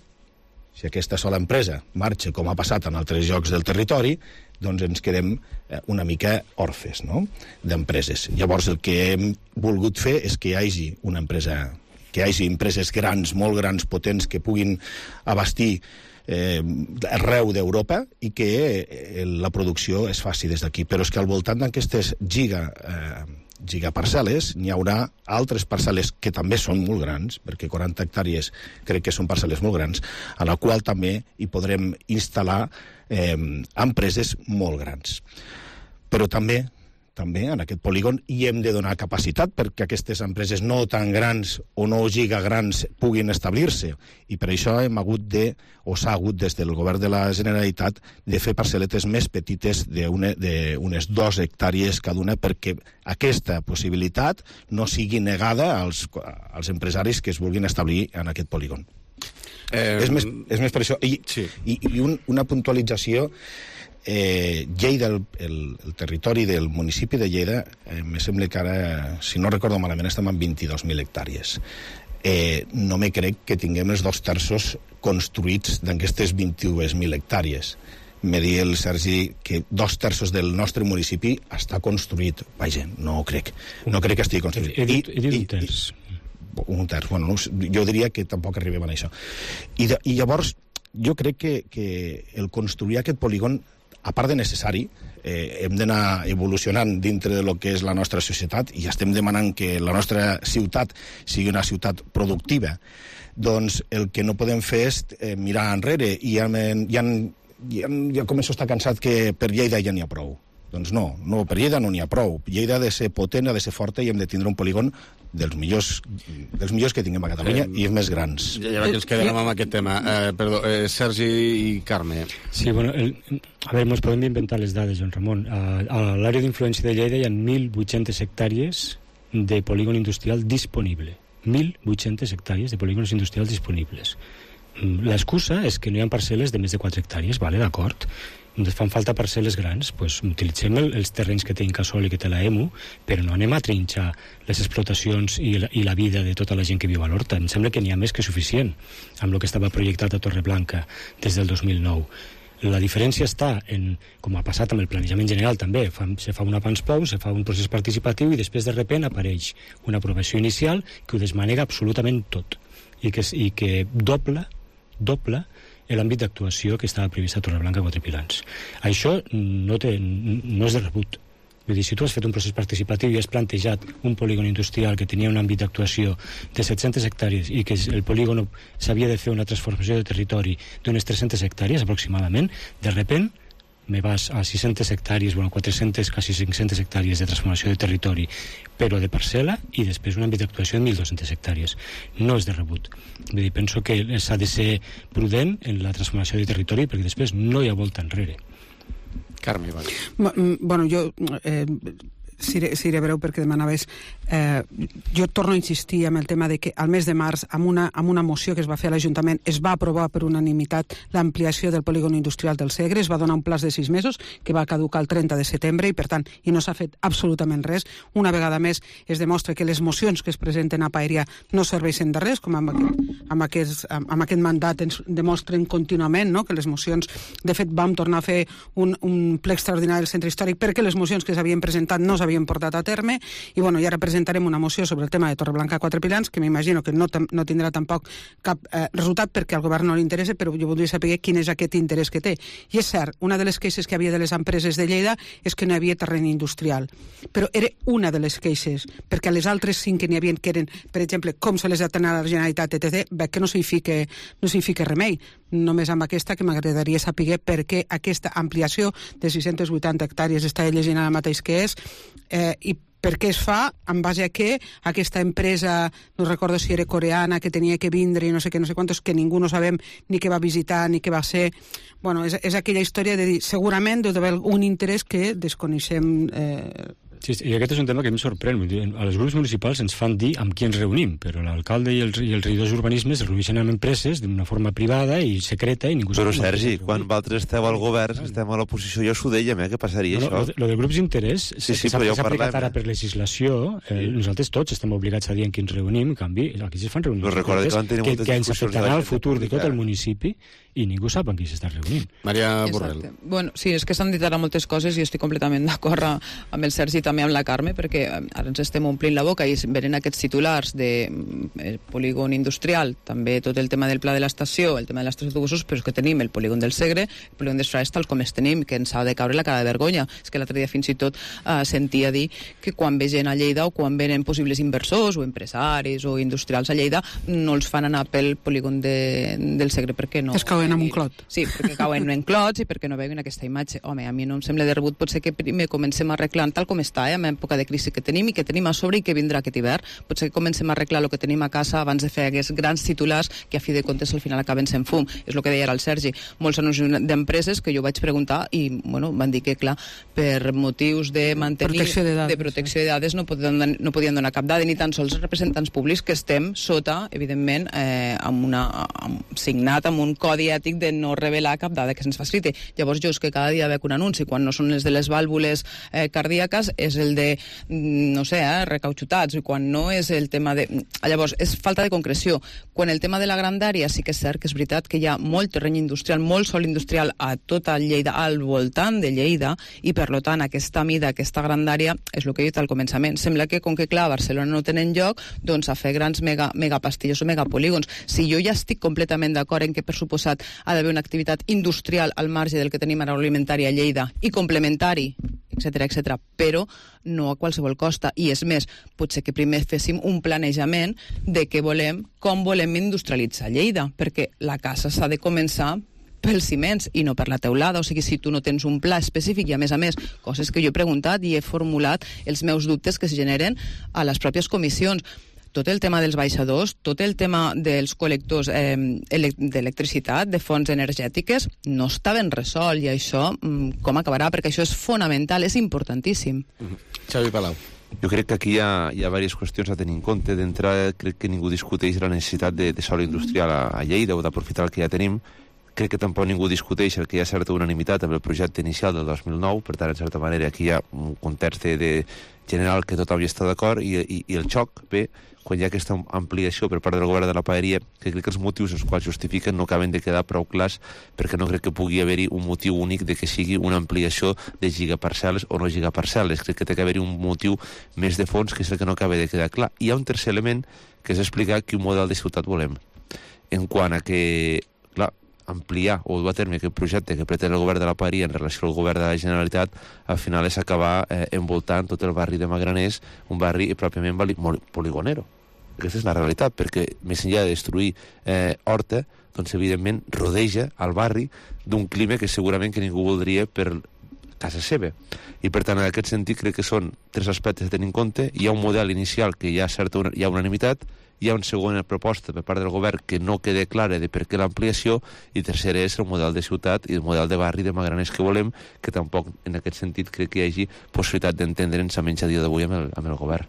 si aquesta sola empresa marxa com ha passat en altres llocs del territori, doncs ens quedem una mica orfes, no?, d'empreses. Llavors el que hem volgut fer és que hi hagi una empresa, que hi hagi empreses grans, molt grans, potents, que puguin abastir arreu d'Europa i que la producció es faci des d'aquí. Però és que al voltant d'aquestes gigaparcel·les n'hi haurà altres parcel·les que també són molt grans, perquè 40 hectàrees crec que són parcel·les molt grans, a la qual també hi podrem instal·lar empreses molt grans. Però també en aquest polígon hi hem de donar capacitat perquè aquestes empreses no tan grans o no gigagrans puguin establir-se. I per això s'ha hagut des del govern de la Generalitat de fer parcel·letes més petites d'unes 2 hectàrees cada una, perquè aquesta possibilitat no sigui negada als empresaris que es vulguin establir en aquest polígon. És més per això. I una puntualització. Lleida, el territori del municipi de Lleida, me sembla que ara, si no recordo malament, estem en 22.000 hectàrees. No me crec que tinguem els 2/3 construïts d'aquestes 22.000 hectàrees. Me dir el Sergi que 2/3 del nostre municipi està construït. Vaja, no ho crec. No crec que estigui construït. He dit un terç. Un terç, bueno, jo diria que tampoc arribem a això. I llavors, jo crec que el construir aquest polígon, a part de necessari, hem d'anar evolucionant dintre del que és la nostra societat i estem demanant que la nostra ciutat sigui una ciutat productiva. Doncs el que no podem fer és mirar enrere i ja començo a estar cansat que per Lleida ja n'hi ha prou. Doncs no, per Lleida no n'hi ha prou. Lleida ha de ser potent, ha de ser forta i hem de tindre un polígon dels millors que tinguem a Catalunya i els més grans. Ja que ens quedem amb aquest tema. Sergi i Carme. Sí, bueno, a veure, ens podem inventar les dades, Joan Ramon. A l'àrea d'influència de Lleida hi ha 1.800 hectàrees de polígon industrial disponible. 1.800 hectàrees de polígons industrials disponibles. L'excusa és que no hi ha parcel·les de més de 4 hectàrees, vale, d'acord? Ens fan falta parcel·les grans, doncs utilitzem els terrenys que té Incasòl i que té la EMU, però no anem a trinxar les explotacions i la vida de tota la gent que viu a l'Horta. Em sembla que n'hi ha més que suficient amb el que estava projectat a Torreblanca des del 2009. La diferència està en, com ha passat amb el planejament general també, se fa una PANSPOU, se fa un procés participatiu i després de sobte apareix una aprovació inicial que ho desmanega absolutament tot i que dobla l'àmbit d'actuació que estava previst a Torreblanca a Quatre Pilans. Això no és de rebut. Vull dir, si tu has fet un procés participatiu i has plantejat un polígon industrial que tenia un àmbit d'actuació de 700 hectàrees i que el polígon s'havia de fer una transformació de territori d'unes 300 hectàrees aproximadament, de sobte me vas a 600 hectàrees, bueno, 400, quasi 500 hectàrees de transformació de territori, però de parcel·la, i després un àmbit d'actuació de 1.200 hectàrees. No és de rebut. Vull dir, penso que s'ha de ser prudent en la transformació de territori perquè després no hi ha volta enrere. Carme, vale. Bueno, jo seré breu perquè demanaves. Jo torno a insistir en el tema de que al mes de març, amb una moció que es va fer a l'Ajuntament, es va aprovar per unanimitat l'ampliació del polígon industrial del Segre, es va donar un plaç de 6 mesos que va caducar el 30 de setembre i, per tant, no s'ha fet absolutament res. Una vegada més es demostra que les mocions que es presenten a Paeria no serveixen de res, com amb aquest mandat ens demostren contínuament, no? Que les mocions, de fet, vam tornar a fer un ple extraordinari del centre històric perquè les mocions que s'havien presentat no s'havien portat a terme i ara presentarem una moció sobre el tema de Torreblanca 4 Pilans que m'imagino que no tindrà tampoc cap resultat perquè al govern no li interessa, però jo voldria saber quin és aquest interès que té. I és cert, una de les queixes que hi havia de les empreses de Lleida és que no hi havia terreny industrial, però era una de les queixes, perquè a les altres 5 que n'hi havia, que eren, per exemple, com se les ha d'anar a la Generalitat, etc., veig que no s'hi fica remei. Només amb aquesta que m'agradaria saber per què aquesta ampliació de 680 hectàrees està llegint ara mateix que és i per què es fa, en base a què aquesta empresa, no recordo si era coreana, que tenia que vindre i no sé què, no sé quantos, que ningú no sabem ni què va visitar ni què va ser. Bueno, és aquella història de dir, segurament deu d'haver un interès que desconeixem. Sí, i aquest és un tema que em sorprèn. A les grups municipals ens fan dir amb qui ens reunim, però l'alcalde i els regidors d'urbanisme es reuneixen amb empreses d'una forma privada i secreta i ningú sap. Però, Sergi, quan vosaltres esteu al govern, estem a l'oposició, jo s'ho dèiem, què passaria això? Lo de grups d'interès s'ha aplicat ara per legislació. Nosaltres tots estem obligats a dir en qui ens reunim, en canvi, aquí es fan reunions que ens afectarà el futur de tot el municipi i ningú sap amb qui s'està reunint. Maria Borrell. Bueno, sí, és que s'han dit ara moltes coses i estic completament d'acord amb el Sergi i també amb la Carme, perquè ara ens estem omplint la boca i venen aquests titulars de polígon industrial, també tot el tema del pla de l'estació, el tema de l'estació d'autobusos, però és que tenim el polígon del Segre, el polígon d'Estrades tal com es tenim, que ens ha de caure la cara de vergonya. És que l'altre dia fins i tot sentia dir que quan ve gent a Lleida o quan venen possibles inversors o empresaris o industrials a Lleida no els fan anar pel polígon del Segre perquè no... Es cauen en un clot. Sí, perquè cauen en clots i perquè no veuen aquesta imatge. Home, a mi no em sembla de rebut, potser que primer comencem arreglant tal com està, en època de crisi que tenim i que tenim a sobre i que vindrà aquest hivern. Potser que comencem a arreglar el que tenim a casa abans de fer aquests grans titulars que a fi de comptes al final acaben sent fum. És el que deia ara el Sergi. Molts anuncis d'empreses que jo vaig preguntar i van dir que, clar, per motius de mantenir... de protecció de dades no podien donar cap dada, ni tan sols els representants públics que estem sota, evidentment, signat amb un codi ètic de no revelar cap dada que se'ns faciliti. Llavors jo és que cada dia veig un anunci, quan no són les de les vàlvules cardíaques, és el de, no sé, recauxutats, i quan no és el tema de... Llavors, és falta de concreció. Quan el tema de la grandària sí que és cert que és veritat que hi ha molt terreny industrial, molt sòl industrial a tota Lleida, al voltant de Lleida, i per tant aquesta mida, aquesta grandària, és el que he dit al començament. Sembla que, com que clar, a Barcelona no tenen lloc, doncs a fer grans megapastilles o megapolígons. Si jo ja estic completament d'acord en que, per suposat, ha d'haver una activitat industrial al marge del que tenim agroalimentari a Lleida i complementari, etc., però no a qualsevol costa. I és més, potser que primer féssim un planejament de què volem, com volem industrialitzar Lleida, perquè la casa s'ha de començar pels ciments i no per la teulada. O sigui, si tu no tens un pla específic i, a més, coses que jo he preguntat i he formulat els meus dubtes que es generen a les pròpies comissions. Tot el tema dels baixadors, tot el tema dels col·lectors d'electricitat, de fonts energètiques, no està ben resolt, i això com acabarà? Perquè això és fonamental, és importantíssim. Xavi Palau. Jo crec que aquí hi ha diverses qüestions a tenir en compte. D'entrada, crec que ningú discuteix la necessitat de sòl industrial a Lleida o d'aprofitar el que ja tenim. Crec que tampoc ningú discuteix el que hi ha certa unanimitat amb el projecte inicial del 2009, per tant, en certa manera, aquí hi ha un context general que tothom hi està d'acord, i el xoc ve quan hi ha aquesta ampliació per part del govern de la Paeria, que crec que els motius els quals justifiquen no acaben de quedar prou clars, perquè no crec que pugui haver-hi un motiu únic de que sigui una ampliació de gigaparcel·les o no gigaparcel·les. Crec que té que haver-hi un motiu més de fons, que és el que no acaba de quedar clar. Hi ha un tercer element, que és explicar quin model de ciutat volem. En quant a que, clar, ampliar o dur a terme aquest projecte que pretén el govern de la Paeria en relació al govern de la Generalitat, al final és acabar envoltant tot el barri de Magraners, un barri pròpiament poligonero. Aquesta és la realitat, perquè més enllà de destruir Horta, doncs evidentment rodeja el barri d'un clima que segurament que ningú voldria per casa seva. I per tant, en aquest sentit, crec que són 3 aspectes a tenir en compte. Hi ha un model inicial que hi ha unanimitat, hi ha una segona proposta per part del govern que no queda clara de per què l'ampliació, i tercera és el model de ciutat i el model de barri de Magranes que volem, que tampoc en aquest sentit crec que hi hagi possibilitat d'entendre'ns a menys a dia d'avui amb el govern.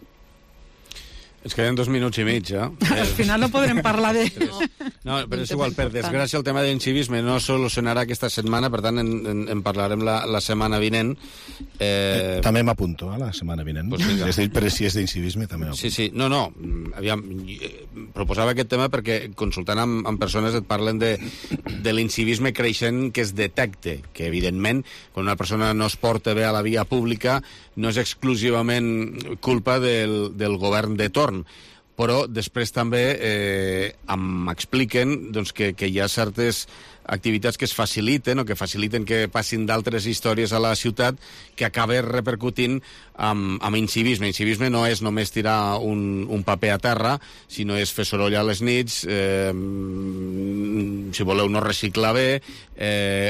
Ens queden 2 minuts i mig, eh? Al final no podrem parlar de... No, però és igual, per desgràcia el tema de l'incivisme no solucionarà aquesta setmana, per tant en parlarem la setmana vinent. També m'apunto a la setmana vinent. Pues però si és d'incivisme també m'apunto. Sí, no, aviam, proposava aquest tema perquè consultant amb persones et parlen de l'incivisme creixent que es detecte, que evidentment quan una persona no es porta bé a la via pública no és exclusivament culpa del govern de torn, però després també m'expliquen doncs, que hi ha certes activitats que es faciliten o que faciliten que passin d'altres històries a la ciutat que acaba repercutint amb incivisme. Incivisme no és només tirar un paper a terra, sinó és fer soroll a les nits, si voleu no reciclar bé,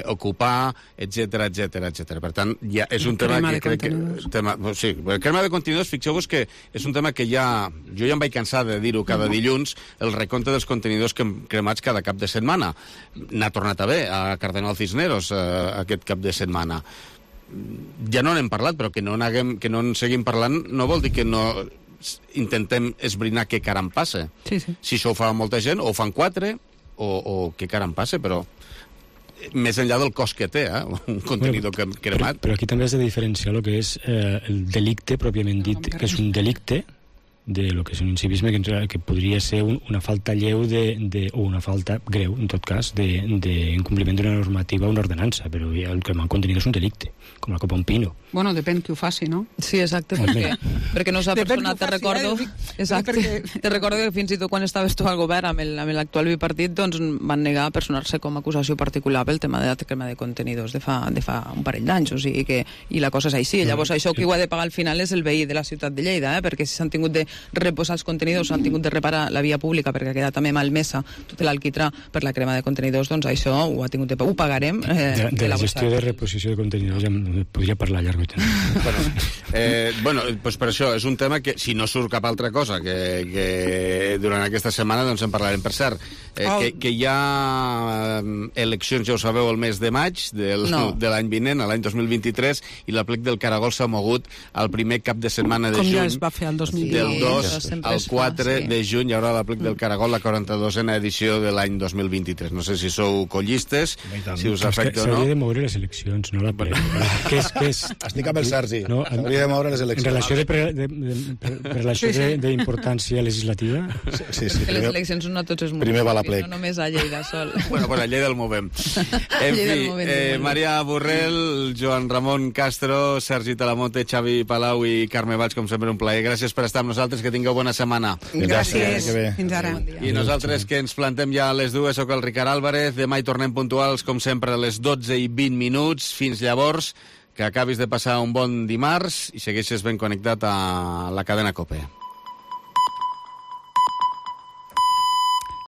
ocupar, etc. Per tant, ja és un tema que crec que... Sí, el crema de contenidors, fixeu-vos que és un tema que ja... Jo ja em vaig cansar de dir-ho cada dilluns, el recompte dels contenidors cremats cada cap de setmana. N'ha tornat a haver a Cardenal Cisneros aquest cap de setmana. Ja no n'hem parlat, però que no en seguim parlant no vol dir que no intentem esbrinar què caram passa. Sí. Si això ho fa molta gent, o ho fan 4, o què caram passa, però més enllà del cost que té, un contenidor cremat. Però aquí també has de diferenciar el que és el delicte pròpiament dit, que és un delicte de lo que és un incivisme que podria ser una falta lleu o una falta greu, en tot cas, d'incompliment d'una normativa o una ordenança, però el cremar contenidor és un delicte, com la copa un pino. Bueno, depèn qui ho faci, no? Sí, exacte, perquè no s'ha personat, te recordo que fins i tot quan estaves tu al govern amb l'actual bipartit, doncs van negar a personar-se com a acusació particular pel tema de la crema de contenidors de fa un parell d'anys, o sigui que i la cosa és així. Llavors això qui ho ha de pagar al final és el veí de la ciutat de Lleida, perquè si s'han tingut de reposar els contenidors, s'han tingut de reparar la via pública perquè ha quedat també malmesa tot l'alquitrà per la crema de contenidors, doncs això ho pagarem. De la gestió de reposició de contenidors ja podria parlar llarg i tens. Bueno, doncs per això és un tema que si no surt cap altra cosa que durant aquesta setmana doncs en parlarem. Per cert, que hi ha eleccions, ja ho sabeu, el mes de maig de l'any vinent, l'any 2023, i l'aplec del Caragol s'ha mogut al primer cap de setmana de juny. Com ja es va fer el 2020. Del 2 al 4 de juny hi haurà l'aplec del Caragol, la 42a edició de l'any 2023. No sé si sou collistes, si us afecta o no. S'hauria de moure les eleccions, no l'aplec. Estic amb el Sergi. S'hauria de moure les eleccions. En relació d'importància legislativa? Sí. Que les eleccions són a tots els municipis, no només a Lleida sol. Bueno, a Lleida el movem. En fi, Maria Borrell, Joan Ramon Castro, Sergi Talamonte, Xavi Palau i Carme Valls, com sempre un plaer. Gràcies per estar amb nosaltres, que tingueu bona setmana. Gràcies. Fins ara. I nosaltres que ens plantem ja a les 2, soc el Ricard Álvarez. Demà hi tornem puntuals, com sempre, a les 12:20. Fins llavors, que acabis de passar un bon dimarts i segueixes ben connectat a la cadena COPE.